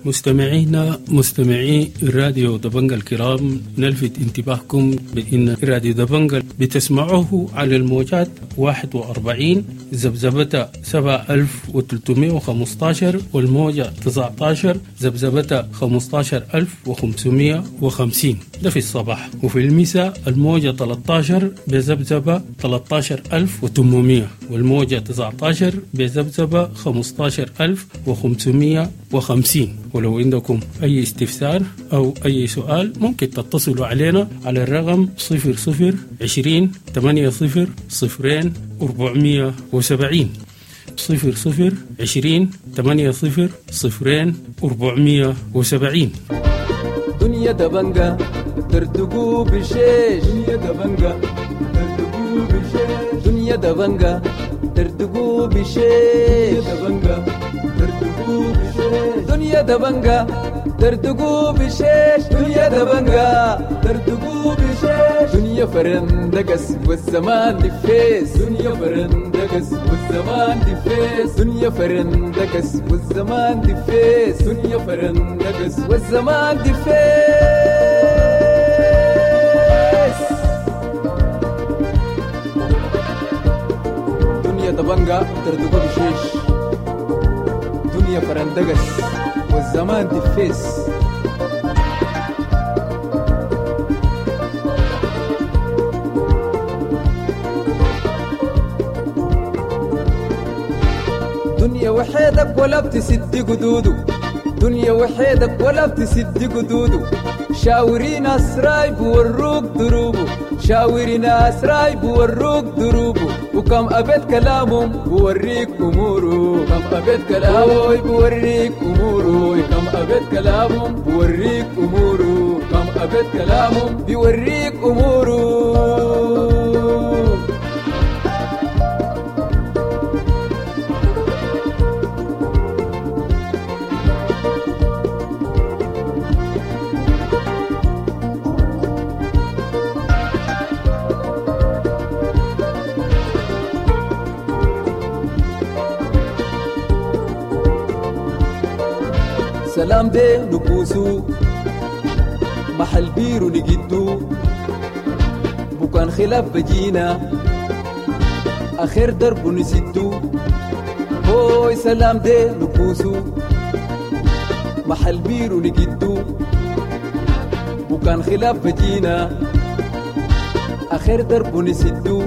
مستمعينا مستمعي راديو دبنجا الكرام، نلفت انتباهكم بأن راديو دبنجا بتسمعوه على الموجات 41 ذبذبة 7315 والموجة 19 ذبذبة 15550، ده في الصباح، وفي المساء الموجة 13 بذبذبة 13800 والموجة 19 بذبذبة 15550. ولو عندكم أي استفسار أو أي سؤال ممكن تتصلوا علينا على الرقم 00 20 80 0 470، 00 20 80 0 470. دنيا دبنجة ترتقو بشيش، دنيا دبنجة ترتقو بشيش، دنيا دبنجة ترتقو بشيش، دبنجة ترتقو بشيش، دنيا دبنجة ترتقو بشيش، دنيا دبنجة ترتقو بشيش، دنيا فرندقس والزمان دفيس، دنيا فرندقس والزمان دفيس، دنيا فرندقس والزمان دفيس، دنيا فرندقس والزمان دفيس. دنيا دبنجة ترتقو بشيش، دنيا فرندقس والزمان دفيس. دنيا وحيدك ولا بتسد قدوده، دنيا وحيدك ولا بتسد قدوده، شاوري ناس رايب وروك دروبه، شاوري ناس رايب وروك دروبه، وكم أبيت كلامهم بوريك أموره، كم أبيت كلامه بوريك أموره، كم أبيت كلامهم بوريك أموره، كم أبيت كلامهم بيوريك أموره. سلام دي نكوسو محل بيرو نجدو، بكان خلاف بجينا آخر درب نسدو، هوي سلام دي نكوسو محل بيرو نجدو، بكان خلاف بجينا آخر درب نسدو،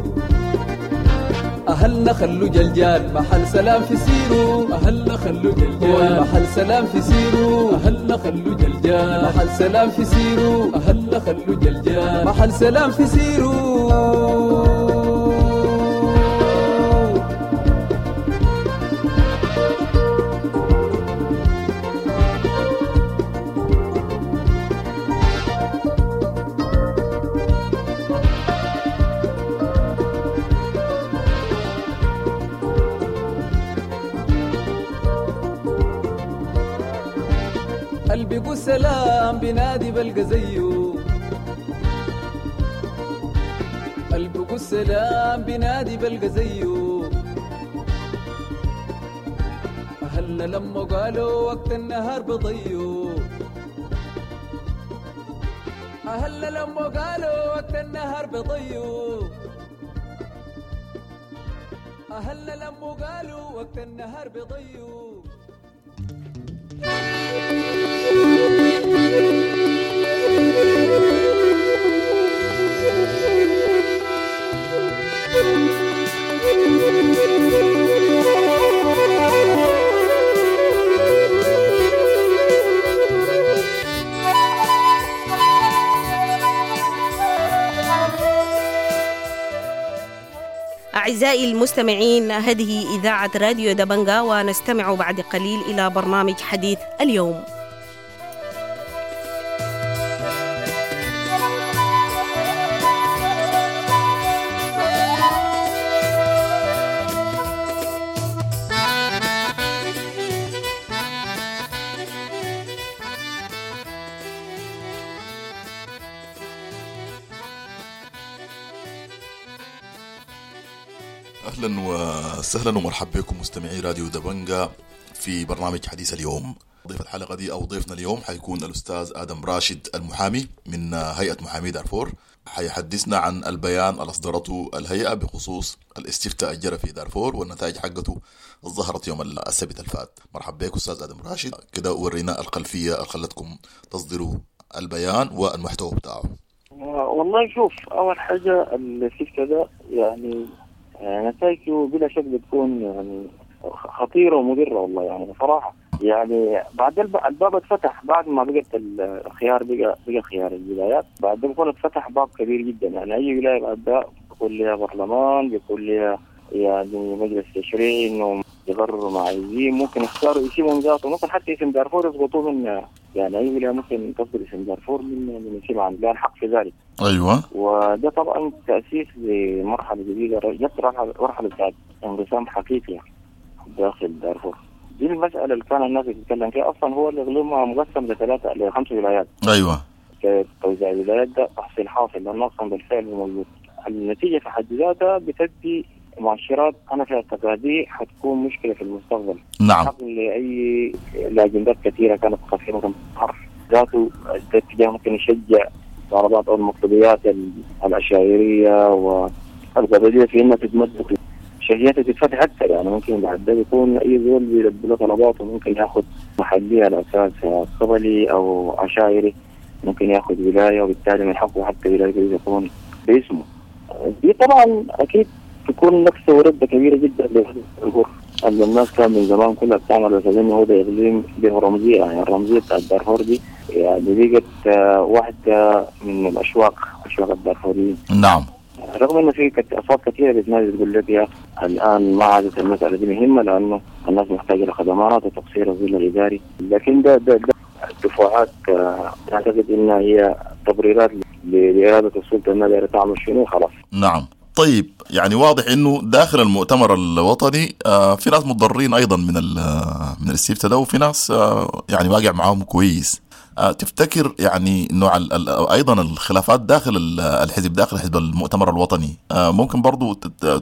أهلنا خلو جلجال محل سلام في سيرو، أهلنا خلو جلجال محل سلام في سيرو، أهلنا خلو جلجال محل سلام في سيرو، أهلنا خلو جلجال محل سلام في سيرو. قلبي سلام بنادي بلقى زيه، قلبي السلام بنادي بلقى زيه، أهلنا لما قالوا وقت النهار بضيو، أهلنا لما قالوا وقت النهار بضيو، أهلنا لما قالوا وقت النهار بضيو. أعزائي المستمعين، هذه إذاعة راديو دبنجا، ونستمع بعد قليل إلى برنامج حديث اليوم. اهلا وسهلا ومرحبا بكم مستمعي راديو دبنجا في برنامج حديث اليوم. ضيف الحلقة دي او ضيفنا اليوم حيكون الاستاذ ادم راشد المحامي من هيئة محامي دارفور، حيحدثنا عن البيان اللي اصدرته الهيئة بخصوص الاستفتاء الجرى في دارفور والنتائج حقته ظهرت يوم السبت الفات. مرحبا بك استاذ ادم راشد، كده ورينا الخلفية اللي خلتكم تصدروا البيان والمحتوى بتاعه. والله شوف، اول حاجة الاستفتاء ده يعني نتائجه بلا شك بتكون يعني خطيرة ومضره والله، يعني بصراحة يعني بعد الباب اتفتح بعد ما بقت الخيار بقى خيار الولايات، بعد ما بيكون اتفتح باب كبير جدا. يعني اي ولاية بعد ده بيكون لها برلمان، بيكون لها يعني مجلس تشريعي انهم يقرروا ما عايزين، ممكن يختاروا اسمهم ذاته، ممكن حتى اسم دارفور يسقطوه من يعني اي ولاية ممكن تصدر اسم دارفور من اسم عن لا الحق في ذلك. ايوه، وده طبعا تاسيس لمرحلة جديدة، جت مرحلة بتاعت انقسام حقيقي داخل دارفور. دي المسألة اللي كان الناس بتتكلم فيها أصلا. هو الإقليم مقسم لثلاثة لخمس ولايات. أيوة، توزيع الولايات ده تحصيل حاصل لأنه أصلا بالفعل موجود. النتيجة في حد ذاتها بتدي مؤشرات أنا في اعتقادي حتكون مشكلة في المستقبل. نعم، لأي لأجندات كثيرة كانت خفية ممكن تظهر ذاته الاتجاه، ممكن يشجع طلبات أو المطلوبيات العشائرية والقبلية في إنها تتمدد، شهياتها تتفتح أكثر. يعني ممكن بعد ده يكون أي زول بيلبي له طلباته، ممكن ياخذ محلية على أساس قبلي أو عشائري، ممكن ياخذ ولاية، وبالتالي من حقه حتى ولاية يكون باسمه. دي طبعا أكيد تكون نكسة وردة كبيرة جدا لدارفور. الناس كان من زمان كلها بتعمل بس إنه هو ده إقليم به رمزية، يعني الرمزية بتاعت دارفور دي يعني بقت واحدة من الأشواق، أشواق الدارفوريين. نعم، رغم انه في اصوات كثيرة بتنادي تقول لك يا الان ما عادت المسالة دي مهمة لانه الناس محتاجه لخدمات وتقصير الظل الاداري، لكن ده دفعات اعتقد انها هي تبريرات لارادة السلطة انها دايرة تعمل شنو خلاص. نعم، طيب يعني واضح انه داخل المؤتمر الوطني في ناس متضررين ايضا من الاستفتاء ده، وفي ناس يعني واقع معاهم كويس. تفتكر يعني نوع ايضا الخلافات داخل الحزب، داخل حزب المؤتمر الوطني، ممكن برضو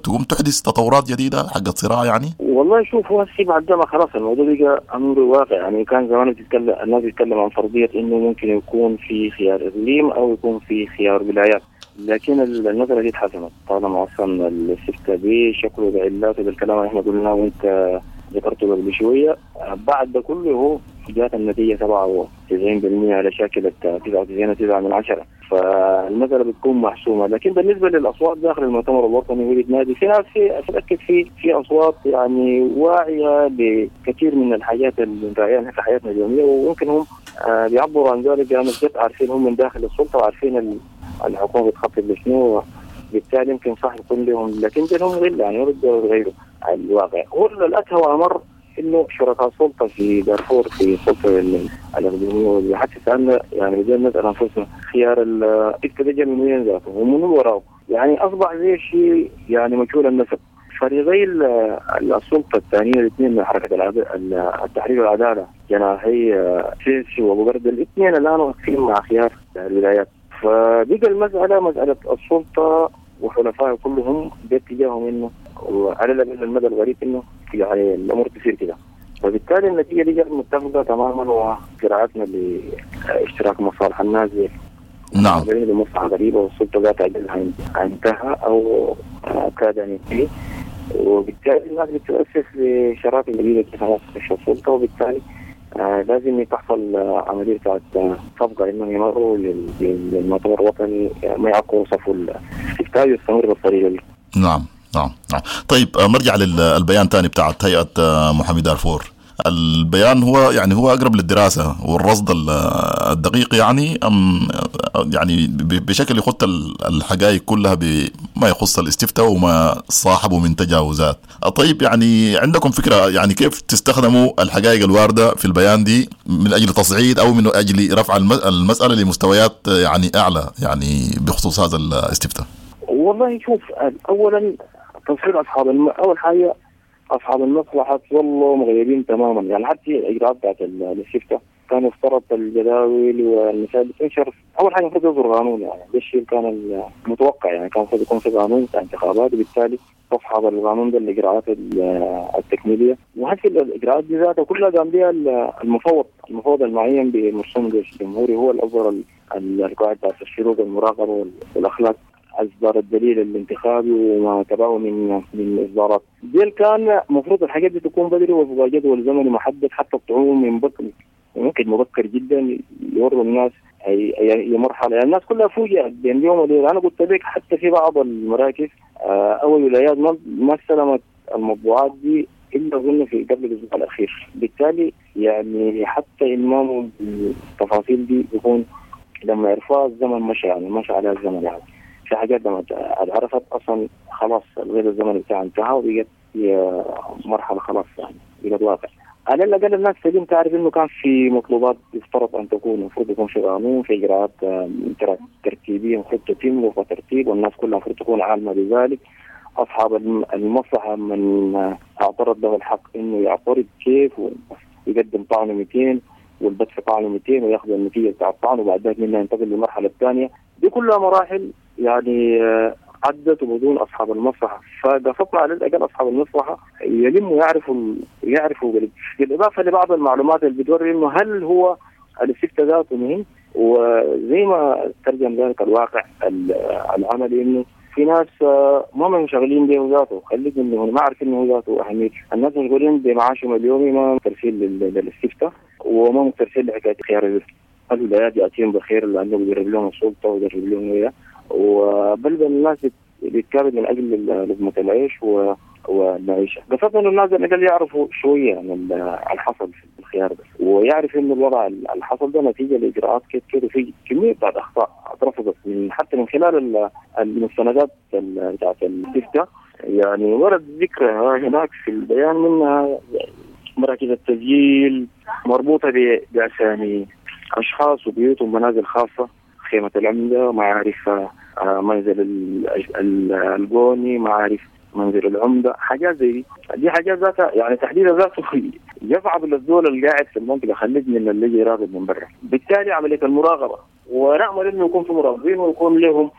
تقوم تحدث تطورات جديدة حق صراع يعني؟ والله شوف، هو هسه بعد ما خلاص الموضوع بقى امر واقع. يعني كان زمان بتتكلم الناس بتتكلم عن فرضية انه ممكن يكون في خيار اقليم او يكون في خيار ولايات، لكن النظرة دي اتحسمت طالما اصلا الاستفتاء بشكله بعلاته بالكلام اللي احنا قلناه وانت ذكرته قبل شوية. بعد ده كله هو جات النتيجة 97% على شاكلة 99.9، فالمسألة بتكون محسومة. لكن بالنسبة للأصوات داخل المؤتمر الوطني وبتنادي في ناس، في أتأكد في أصوات يعني واعية بكثير من الحاجات اللي نراعيها في حياتنا اليومية، وممكن هم بيعبروا عن ذلك لأنهم عارفين هم من داخل السلطة وعارفين الحكومة بتخطط لشنو، بالتالي يمكن صح يكون لهم، لكن لهم غل يعني ما بيقدروا يغيروا الواقع. هو الأسهل وأمر انه شركاء السلطة في دارفور في السلطة الاقليمية، حتى سالنا يعني بدنا نسال انفسنا خيار الاستفتاء ده من وين ذاته ومن وراه، يعني اصبح زي شيء يعني مجهول النسب. فريقي السلطة الثانية الاثنين من حركة التحرير والعدالة جناحي سيسي وابو برد، الاثنين الان واقفين مع خيار الولايات. فبقى المسالة مسالة السلطة وحلفائه كلهم باتجاههم انه وعلى الاقل المدى الغريب انه يعني الامور تصير كده، وبالتالي النتيجة دي جت متفقه تماما وقراءتنا لاشتراك مصالح الناس. نعم، لمصلحة غريبة والسلطة ذات اجلها انتهى او كاد ان ينتهي، وبالتالي الناس بتؤسس لشراكه جديدة كيف تخش السلطة، وبالتالي لازم تحصل عملية بتاعت صفقة انهم يمروا للمؤتمر الوطني ما يعقوا صفوا الاستفتاء ويستمر بالطريقة دي. نعم نعم نعم. طيب نرجع للبيان ثاني بتاعت هيئة محامي دارفور. البيان هو يعني هو اقرب للدراسة والرصد الدقيق، يعني ام يعني بشكل يخط الحقائق كلها بما يخص الاستفتاء وما صاحبه من تجاوزات. طيب يعني عندكم فكرة يعني كيف تستخدموا الحقائق الواردة في البيان دي من اجل تصعيد او من اجل رفع المسالة لمستويات يعني اعلى يعني بخصوص هذا الاستفتاء؟ والله شوف، اولا تصعيد اصحاب اول حاجة اصحاب المصلحة ظلوا مغيبين تماما. يعني حتى الاجراءات بتاعت الاستفتاء كان يفترض الجداول والمسائل بتنشر اول حاجة المفروض يصدر قانون، يعني ده الشيء كان المتوقع، يعني كان المفروض يكون في قانون بتاع انتخابات، وبالتالي تصحب القانون ده الاجراءات التكميليه. وهسه الاجراءات دي ذاتها كلها قام بها المفوض المعين بمرسوم الجيش الجمهوري، هو الاصدر القواعد بتاعت الشروط والمراقبة والاخلاق، اصدار الدليل الانتخابي وما تبعه من اصدارات. دي كان المفروض الحاجات دي تكون بدري وفق جدول زمني محدد، حتى الطعوم من بكر ممكن مبكر جدا يوروا الناس اي مرحلة. يعني الناس كلها فوجئت بين يوم وليلة. انا قلت لك حتى في بعض المراكز او الولايات ما استلمت المطبوعات دي الا اظن في قبل الاسبوع الاخير. بالتالي يعني حتى المامهم بالتفاصيل دي بيكون لما يعرفوها الزمن مشى، يعني مشى عليها الزمن. يعني في حاجات لما عرفت اصلا خلاص الغير الزمن بتاعها انتهى وبقت مرحلة خلاص، يعني بقت واقع. على الاقل الناس تقوم تعرف انه كان في مطلوبات يفترض ان تكون، المفروض يكون في قانون، في اجراءات ترتيبيه المفروض تتم وفق ترتيب، والناس كلها المفروض تكون عالمه بذلك. اصحاب المصلحة من اعترض له الحق انه يعترض كيف ويقدم طعنه 200 والبت في طعنه 200 وياخذ النتيجة بتاع الطعن، وبعد ذلك منها ينتقل للمرحلة الثانية. دي كلها مراحل يعني عدت وبدون اصحاب المصلحة. فقصدنا على الاقل اصحاب المصلحة يلموا يعرفوا بالاضافة لبعض المعلومات اللي بتوري انه هل هو الاستفتاء ذاته مهم. وزي ما ترجم ذلك الواقع العملي انه في ناس ما منشغلين به ذاته، خليك منه ما عارفين انه ذاته اهمية. الناس مشغولين بمعاشهم اليومي، ما مكترثين للاستفتاء وما مكترثين لحكاية خيار الولايات ياتيهم بخير لانه بيجرب لهم السلطة ويجرب لهم اياه، وبل الناس بتكابد من اجل لقمة العيش والمعيشه. قصدنا انه الناس على الاقل يعرفوا شوية عن الحصل في الخيار ده، ويعرف انه الوضع اللي حصل ده نتيجة لاجراءات كده كده، وفي كمية بتاعت اخطاء اترفضت من حتى من خلال المستندات بتاعت الاستفتاء. يعني ورد ذكرها هناك في البيان، منها مراكز التسجيل مربوطة باسامي اشخاص وبيوت ومنازل خاصة، خيمة العمدة، معارف منزل الجوني، معارف منزل العمدة، حاجات زي دي حاجات ذاتها يعني تحديدا ذاته يصعب للزول اللي قاعد في المنطقة، خليك من اللي يجي يراقب من برا. بالتالي عملية المراقبة، ونأمل انه يكون في مراقبين ويكون لهم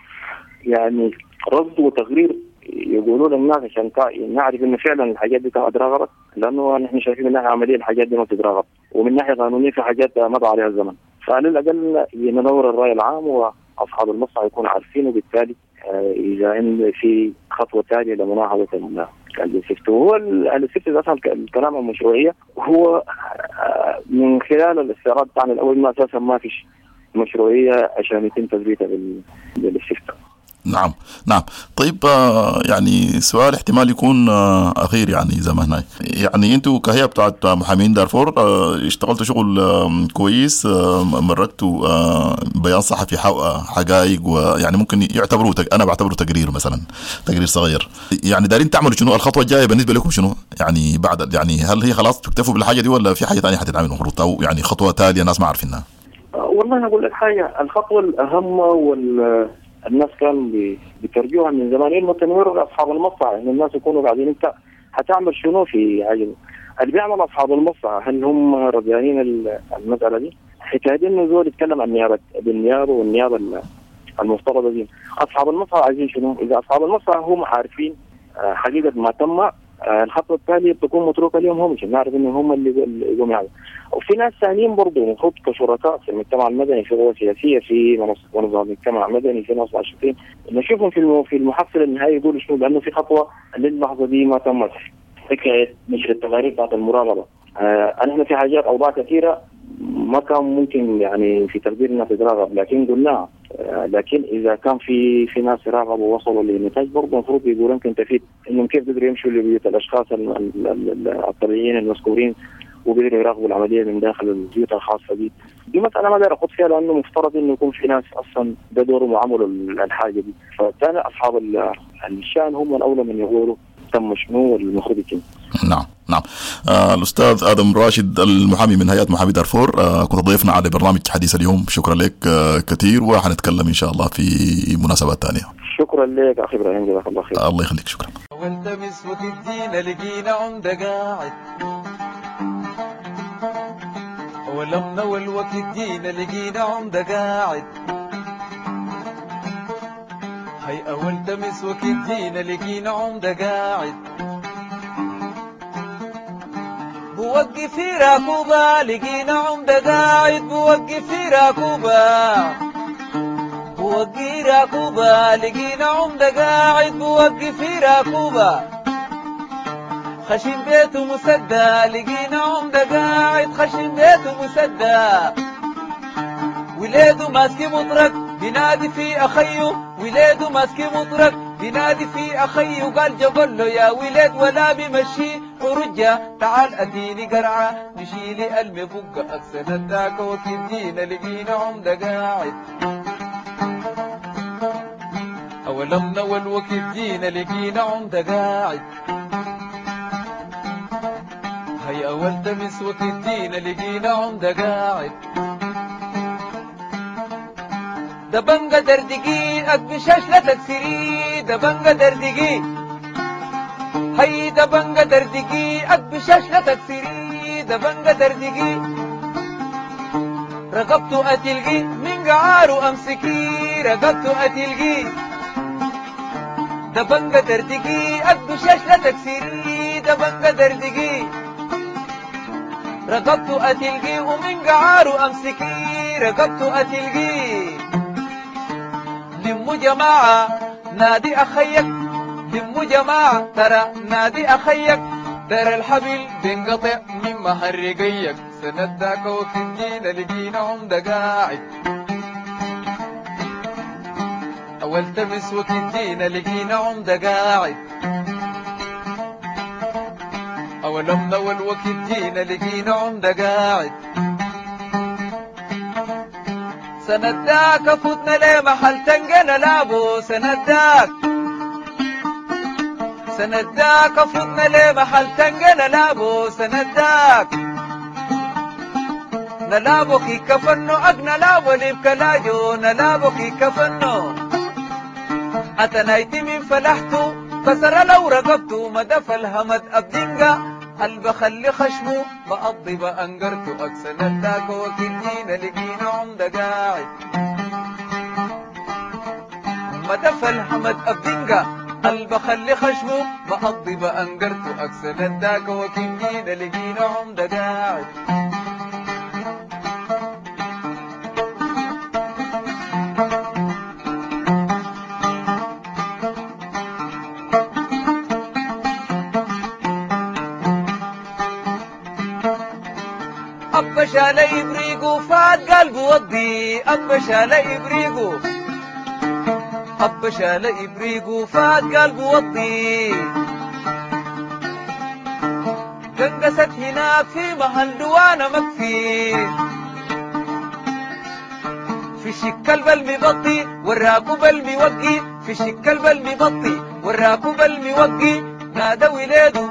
يعني رصد وتقرير يقولوا للناس عشان نعرف انه فعلا الحاجات دي تراقبت، لانه نحن شايفين من ناحية عملية الحاجات دي ما بتتراقب، ومن ناحية قانونية في حاجات مضى عليها الزمن. فعلى الاقل ندور الراي العام واصحاب المصلحة يكونوا عارفين، وبالتالي اذا ان في خطوة ثانية لمناهضه الاستفتاء. وهو الاستفتاء اصلا الكلام المشروعية هو من خلال الاستعراض بتاعنا الاول ما اساسا ما فيش مشروعية عشان يتم تثبيتها بالاستفتاء. نعم نعم. طيب يعني سؤال احتمال يكون أخير، يعني زي ما هنا يعني انتوا كهيئة بتاعت محامين دارفور اشتغلتوا شغل كويس، مرقتوا بيان صحفي حقائق، ويعني ممكن يعتبروا انا بعتبره تقرير مثلا، تقرير صغير. يعني دارين تعملوا شنو الخطوة الجاية بالنسبة لكم شنو يعني بعد؟ يعني هل هي خلاص تكتفوا بالحاجة دي ولا في حاجة ثانية حتتعمل المفروض، او يعني خطوة تالية الناس ما عارفينها؟ والله انا اقول لك حاجة، الخطوة الأهم وال الناس كانوا بيترجوها من زمان انه تنوير اصحاب المصلحة، ان الناس يكونوا قاعدين انت هتعمل شنو في حاجة اللي بيعمل اصحاب المصلحة، هل هم رضيانين المسالة دي؟ حكاية انه زول يتكلم عن نيابة بالنيابة والنيابه المفترضه دي، اصحاب المصلحة عايزين شنو؟ اذا اصحاب المصلحة هم عارفين حقيقة ما تم، الخطوة التالية بتكون متروكة لهم هم، عشان نعرف انه هم اللي يقوموا يعملوا. وفي ناس ثانيين برضه المفروض كشركاء في المجتمع المدني، في قوى سياسية، في منظمات المجتمع المدني، في ناس ناشطين، نشوفهم في المحصلة النهائية يقولوا شنو، لانه في خطوة للحظة دي ما تمت، حكاية نشر التقارير بتاعت المراقبة. احنا في حاجات اوضاع كثيرة ما كان ممكن يعني في تقديرنا تتراقب، لكن قلناها. لكن اذا كان في ناس راقبوا ووصلوا لنتائج برضه المفروض يقولوا يمكن تفيد انهم كيف قدروا يمشوا لبيوت الاشخاص الطبيعيين المذكورين وقدروا يراقبوا العملية من داخل البيوت الخاصة دي. دي مسالة ما اقدر اخوض فيها لانه مفترض انه يكون في ناس اصلا ده دورهم وعملوا الحاجة دي، فكان اصحاب الشان هم الاولى من يقولوا تم شنو والمفروض يتم. نعم نعم. الأستاذ آدم راشد المحامي من هيئة محامي دارفور، كنت ضيفنا على برنامج حديث اليوم، شكرا لك كثير، وحنتكلم إن شاء الله في مناسبات ثانية. شكرا لك أخي إبراهيم، جزاك الله خير. الله يخليك، شكرا. والتمس وتدينا لقينا عمدة قاعد، ولمنا والوقت جينا لقينا عمدة قاعد، هي أول تمس وقت جينا لقينا عمدة قاعد بوقف في راكوبة، لقينا عمدة قاعد بوقف في راكوبة، بوقي راكوبة، لقينا عمدة قاعد بوقف في راكوبة، خشم بيته مسدى، لقينا عمدة قاعد خشم بيته مسدى، وليده ماسك مطرق بينادي في أخيه، وليده ماسك مطرق بينادي في أخيه، قال جبل له يا ولد ولا بمشي ورجة، تعال أديني قرعة نشيلي المفقة، أكسنا ذاك وكيف جينا لقينا عمدة قاعد، أولمنا والوكيف جينا لقينا عمدة قاعد، هي أول تمس وكيف جينا لقينا عمدة قاعد، دبنجة دردقي أكبشاش لا تكسري، دبنجة دردقي، هي دبنجة دردقي أكبشاش لا تكسري، دبنجة دردقي، رقبته أتلقي من قعاره أمسكي، رقبته أتلقي، دبنجة دردقي أكبشاش لا تكسري، دبنجة دردقي، رقبته أتلقي ومن قعاره أمسكي، رقبته أتلقي، لمو جماعة نادي أخيك، لمو جماعة ترى نادي أخيك، ترى الحبل بينقطع من مهرقيك، سنداك وكدينا لقينا عمدة قاعد، أول تمس وكدينا لقينا عمدة قاعد، أول أمنا والوكدينا لقينا عمدة قاعد، سنداك فتنا ليه محل تنقنا لابو، سنداك سنداك فتنا ليه محل تنقنا لابو، سنداك نلابو كي كفنو أقنا لابو لبكلاجو، نلابو كي كفنو أتنايتي من فلحتو كسر لو رقبتو، مدف الهمد أبدنقا البخلي خشمو بقضي بأنقرتو، أكسنا وكدينا لقينا عمدة قاعد، مدف الحمد أبدنقا البخلي خشمو بقضي بأنقرتو، أكسنا وكدينا لقينا عمدة قاعد. أبا شال إبريقو فات قال بوضي، أبا شال إبريقو، أبا شال إبريقو فات قال بوضي، قنقست هناك في محل دوانا مكفي، في شكل بالمبطي والراكب الموقي، في شكل بالمبطي والراكب الموقي، نادى ولادو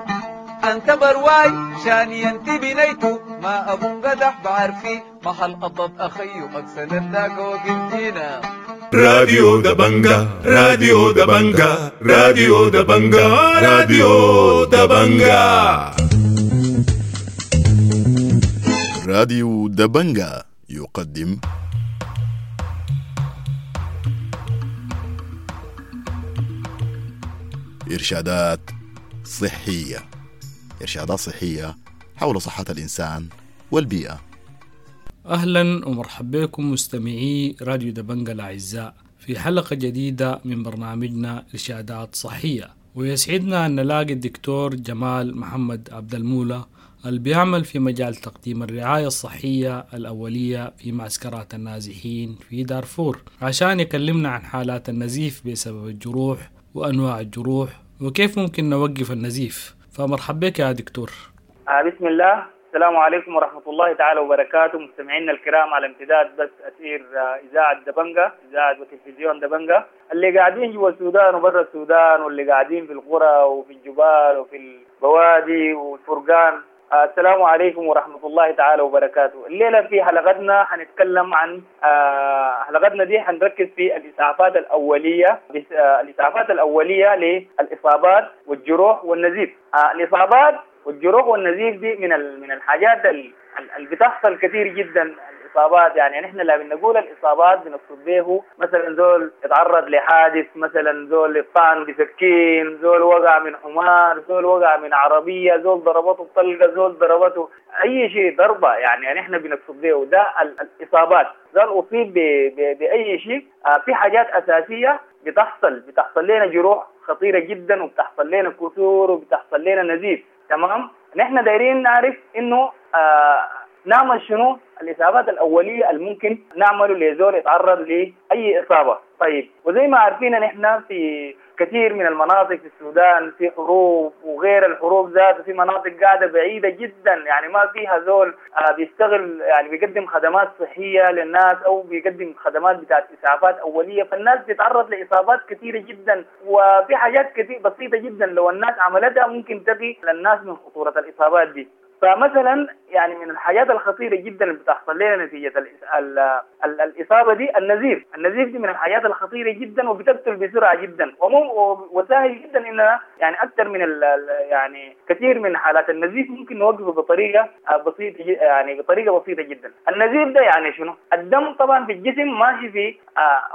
أنت برواي شاني أنت بنيتو، ما أبو قدح بعرفي محل قطط أخيو، أكسنا ذاك وكنتينا. راديو دبنجا، راديو دبنجا، راديو دبنجا، راديو دبنجا. راديو دبنجا يقدم إرشادات صحية، إرشادات صحية حول صحة الإنسان والبيئة. أهلا ومرحبا بكم مستمعي راديو دبنجا الأعزاء في حلقة جديدة من برنامجنا إرشادات صحية، ويسعدنا أن نلاقي الدكتور جمال محمد عبد المولى اللي بيعمل في مجال تقديم الرعاية الصحية الأولية في معسكرات النازحين في دارفور، عشان يكلمنا عن حالات النزيف بسبب الجروح وأنواع الجروح وكيف ممكن نوقف النزيف. فمرحبا بك يا دكتور. بسم الله. السلام عليكم ورحمة الله تعالى وبركاته مستمعينا الكرام على امتداد بث أثير إذاعة دبنجا، إذاعة وتلفزيون دبنجا، اللي قاعدين جوا السودان وبرا السودان، واللي قاعدين في القرى وفي الجبال وفي البوادي والفرقان. السلام عليكم ورحمة الله تعالى وبركاته. الليلة في حلقتنا حنتكلم عن حلقتنا دي حنركز في الإسعافات الأولية، الإسعافات الأولية للإصابات والجروح والنزيف. الإصابات والجروح والنزيف دي من الحاجات اللي بتحصل كثير جدا. الإصابات، يعني نحن لا بنقول الإصابات بنقصد به مثلا زول اتعرض لحادث، مثلا زول اتطعن بسكين، زول وقع من حمار، زول وقع من عربية، زول ضربته طلقة، زول ضربته أي شيء ضربة، يعني نحن بنقصد به ده الإصابات. زول أصيب بأي شيء. في حاجات أساسية بتحصل لنا جروح خطيرة جدا، وبتحصل لنا كسور، وبتحصل لنا نزيف. تمام؟ نحن دايرين نعرف إنه نعمل شنو الإصابات الأولية الممكن نعمله لزول يتعرض لأي إصابة. طيب، وزي ما عارفين نحن في كثير من المناطق في السودان في حروب وغير الحروب ذاته، في مناطق قاعدة بعيدة جدا، يعني ما فيها زول بيشتغل، يعني بيقدم خدمات صحية للناس أو بيقدم خدمات بتاعت إسعافات أولية، فالناس بتتعرض لإصابات كثيرة جدا. وفي حاجات كثير بسيطة جدا لو الناس عملتها ممكن تقي للناس من خطورة الإصابات دي. فمثلا يعني من الحاجات الخطيرة جدا اللي بتحصل لنا نتيجة الإصابة دي النزيف. النزيف دي من الحاجات الخطيرة جدا وبتقتل بسرعة جدا، وسهل جدا إنها يعني أكثر من يعني كثير من حالات النزيف ممكن نوقفه بطريقة بسيطة، يعني بطريقة بسيطة جدا. النزيف ده يعني شنو؟ الدم طبعا في الجسم ماشي في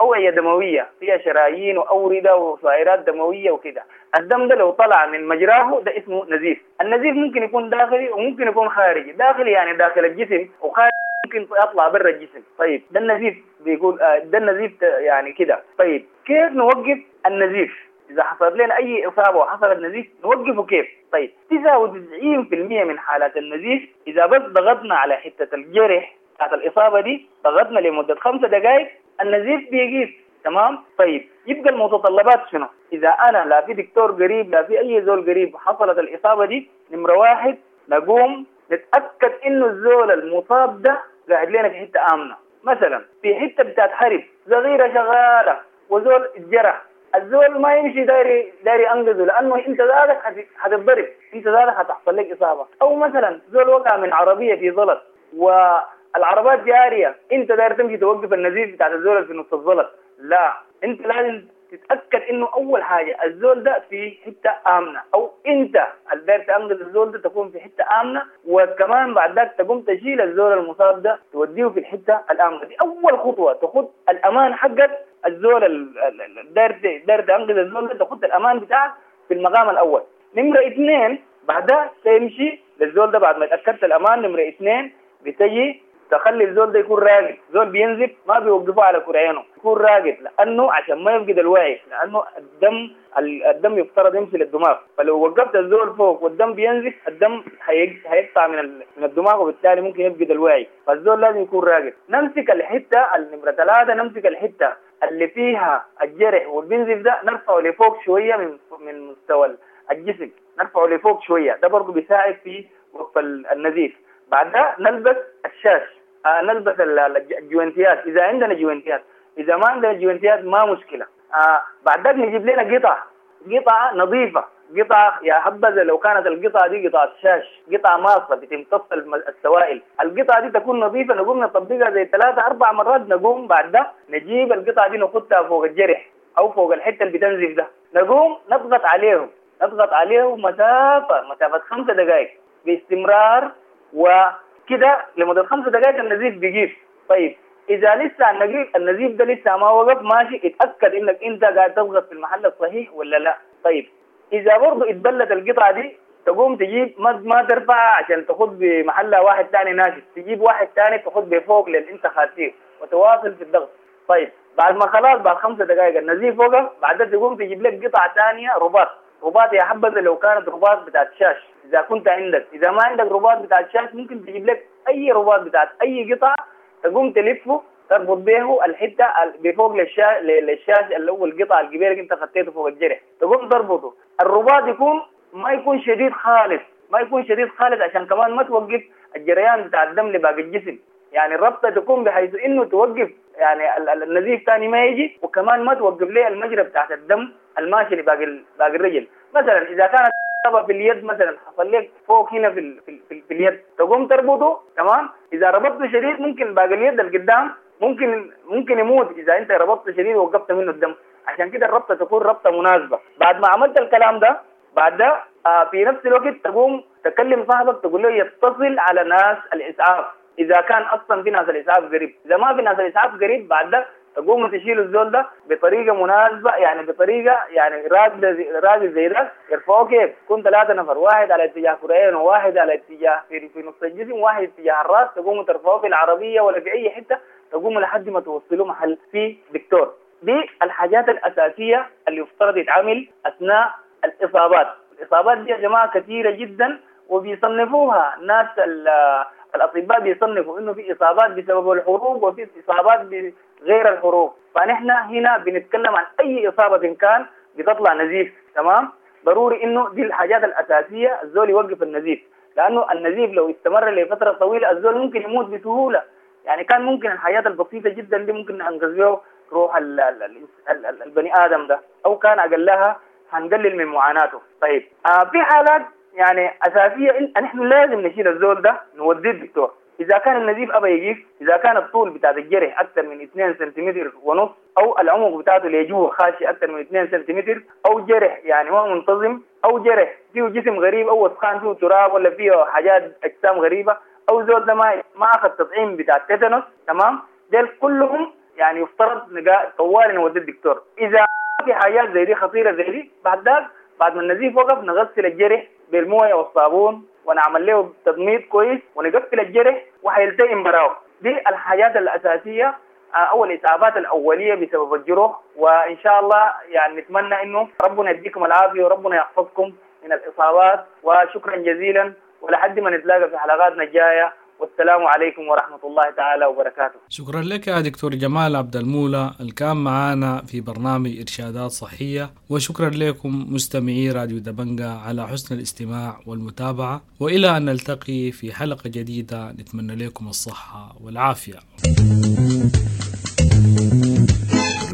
أوعية دموية فيها شرايين وأوردة وشعيرات دموية وكده. الدم ده لو طلع من مجراه ده اسمه نزيف. النزيف ممكن يكون داخلي وممكن يكون خارجي. داخلي يعني داخل الجسم، وخارجي ممكن يطلع برا الجسم. طيب ده النزيف بيقول ده النزيف يعني كده. طيب كيف نوقف النزيف؟ إذا حصلت لنا أي إصابة وحصلت نزيف نوقفه كيف؟ طيب 99% من حالات النزيف إذا بس ضغطنا على حتة الجرح بتاعت الإصابة دي، ضغطنا لمدة 5 دقائق النزيف بيقيف. تمام؟ طيب يبقى المتطلبات شنو؟ إذا أنا لا في دكتور قريب لا في أي زول قريب حصلت الإصابة دي، نمرة 1 نقوم نتأكد إنه الزول المصاب ده قاعد لنا في حتة آمنة. مثلا في حتة بتاعت حرب صغيرة شغالة وزول اتجرح، الزول ما يمشي دايري أنقذه، لأنه أنت ذاتك حتتضرب، أنت ذاتك حتحصل لك إصابة. أو مثلا زول وقع من عربية في زلط والعربات جارية، أنت داير تمشي توقف النزيف بتاعت الزول في نص الزلط، لا، أنت لازم تتأكد إنه أول حاجة الزول ده في حتة آمنة، أو أنت اللي داير تأنقذ الزول ده تكون في حتة آمنة، وكمان بعد ذاك تقوم تشيل الزول المصاب ده توديه في الحتة الآمنة دي. أول خطوة تاخد الأمان حقك، الزول اللي داير تأنقذ الزول ده تاخد الأمان بتاعك في المقام الأول. نمرة 2 بعدها تمشي للزول ده بعد ما تأكدت الأمان. نمرة 2 بتجي تخلي الزول ده يكون راقد. زول بينزف ما بيوقفوه على كرعينه، يكون راقد، لأنه عشان ما يفقد الوعي، لأنه الدم يفترض يمشي للدماغ، فلو وقفت الزول فوق والدم بينزف الدم هيقطع من الدماغ، وبالتالي ممكن يفقد الوعي، فالزول لازم يكون راقد. نمسك الحتة النمرة 3، نمسك الحتة اللي فيها الجرح والبنزف ده نرفعه لفوق شوية من مستوى الجسم، نرفعه لفوق شوية، ده برضه بيساعد في وقف النزيف. بعدها نلبس الشاش، نلبس الجوانتيات إذا عندنا جوانتيات، إذا ما عندنا جوانتيات ما مشكلة. بعد ذلك نجيب لنا قطعة نظيفة، قطعة يا حبذا لو كانت القطعة دي قطعة شاش، قطعة ماصة بتمتص السوائل، القطعة دي تكون نظيفة، نقوم نطبقها زي 3-4 مرات. نقوم بعد ده نجيب القطعة دي نحطها فوق الجرح أو فوق الحتة اللي بتنزف ده، نقوم نضغط عليه مسافة 5 دقائق باستمرار، وكده لمدة 5 دقائق النزيف بيقيف. طيب إذا لسه النزيف ده لسه ما وقف ماشي، اتأكد إنك أنت قاعد تضغط في المحل الصحيح ولا لا. طيب إذا برضو اتبلت القطعة دي تقوم تجيب ما ترفعها عشان تاخد بمحلها واحد تاني ناشف، تجيب واحد تاني تاخد بفوق للي أنت خاتيه وتواصل في الضغط. طيب بعد ما خلاص بعد 5 دقائق النزيف وقف، بعدها تقوم تجيب لك قطعة تانية رباط يا حبذا لو كانت رباط بتاعت شاش إذا كنت عندك، إذا ما عندك رباط بتاعت شاش ممكن تجيب لك أي رباط بتاعت أي قطعة تقوم تلفه تربط به الحتة بفوق للشاش اللي هو القطعة الكبيرة اللي أنت خطيته فوق الجرح، تقوم تربطه. الرباط يكون ما يكون شديد خالص، ما يكون شديد خالص عشان كمان ما توقف الجريان بتاع الدم لباقي الجسم، يعني الربطة تكون بحيث إنه توقف يعني النزيف تاني ما يجي، وكمان ما توقف ليه المجرى بتاعت الدم الماشي لباقي الرجل. مثلا إذا كانت إصابة في اليد مثلا حصل لك فوق هنا في, في, في, في اليد تقوم تربطه. تمام؟ إذا ربطته شديد ممكن باقي اليد اللي قدام ممكن يموت إذا أنت ربطته شديد ووقفت منه الدم، عشان كده الربطة تكون ربطة مناسبة. بعد ما عملت الكلام ده بعد ده في نفس الوقت تقوم تكلم صاحبك تقول له يتصل على ناس الإسعاف. اذا كان اصلا في ناس الاسعاف قريب. اذا ما في ناس الاسعاف قريب بعد ده تقوموا تشيلوا الزول ده بطريقة مناسبة، يعني بطريقة يعني راجل زي ده يرفعوه كيف؟ يكون 3 نفر، واحد على اتجاه كرعين وواحد على اتجاه في نص الجسم وواحد اتجاه الراس، تقوموا ترفعوه في العربية ولا في اي حتة، تقوموا لحد ما توصلوا محل في دكتور. دي الحاجات الاساسية اللي يفترض يتعمل اثناء الاصابات. الاصابات دي يا جماعة كثيرة جدا، وبيصنفوها ناس الاطباء، بيصنفوا انه في اصابات بسبب الحروب وفي اصابات بغير الحروب. فنحن هنا بنتكلم عن اي اصابه كان بتطلع نزيف، تمام؟ ضروري انه دي الحاجات الاساسية، الزول يوقف النزيف، لانه النزيف لو استمر لفترة طويلة الزول ممكن يموت بسهولة. يعني كان ممكن الحاجات البسيطة جدا دي ممكن ننقذ بها روح البني ادم ده، او كان اقلها هنقلل من معاناته. طيب في حالات يعني اساسية نحن لازم نشيل الزول ده نوديه الدكتور. اذا كان النزيف ابى يجيف، اذا كان الطول بتاع الجرح اكثر من 2.5 سنتيمتر، او العمق بتاعته لجوه خاشي اكثر من 2 سنتيمتر، او جرح يعني ما منتظم، او جرح فيه جسم غريب او وسخان فيه تراب ولا فيه حاجات اجسام غريبة، او زول ده ما اخذ تطعيم بتاع التيتانوس، تمام؟ ديل كلهم يعني يفترض طوالي نودي الدكتور. اذا في حاجات زي دي خطيرة زي دي، بعد ذاك بعد ما النزيف وقف نغسل الجرح بالمويه والصابون ونعمل له تضميد كويس ونقفل الجرح وحيلتئم براو. دي الحاجات الاساسية او الاسعافات الاولية بسبب الجروح. وان شاء الله يعني نتمنى انه ربنا يديكم العافية وربنا يحفظكم من الاصابات، وشكرا جزيلا، ولحد ما نتلاقى في حلقاتنا الجاية، والسلام عليكم ورحمة الله تعالى وبركاته. شكرا لك يا دكتور جمال عبد المولى اللي كان معانا في برنامج إرشادات صحية، وشكرا لكم مستمعي راديو دبنجا على حسن الاستماع والمتابعة، وإلى أن نلتقي في حلقة جديدة نتمنى لكم الصحة والعافية.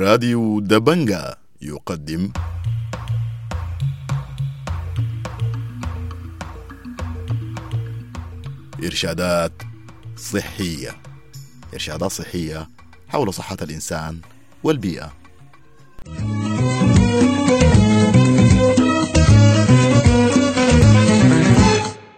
راديو دبنجا يقدم إرشادات صحية، إرشادات صحية حول صحة الإنسان والبيئة.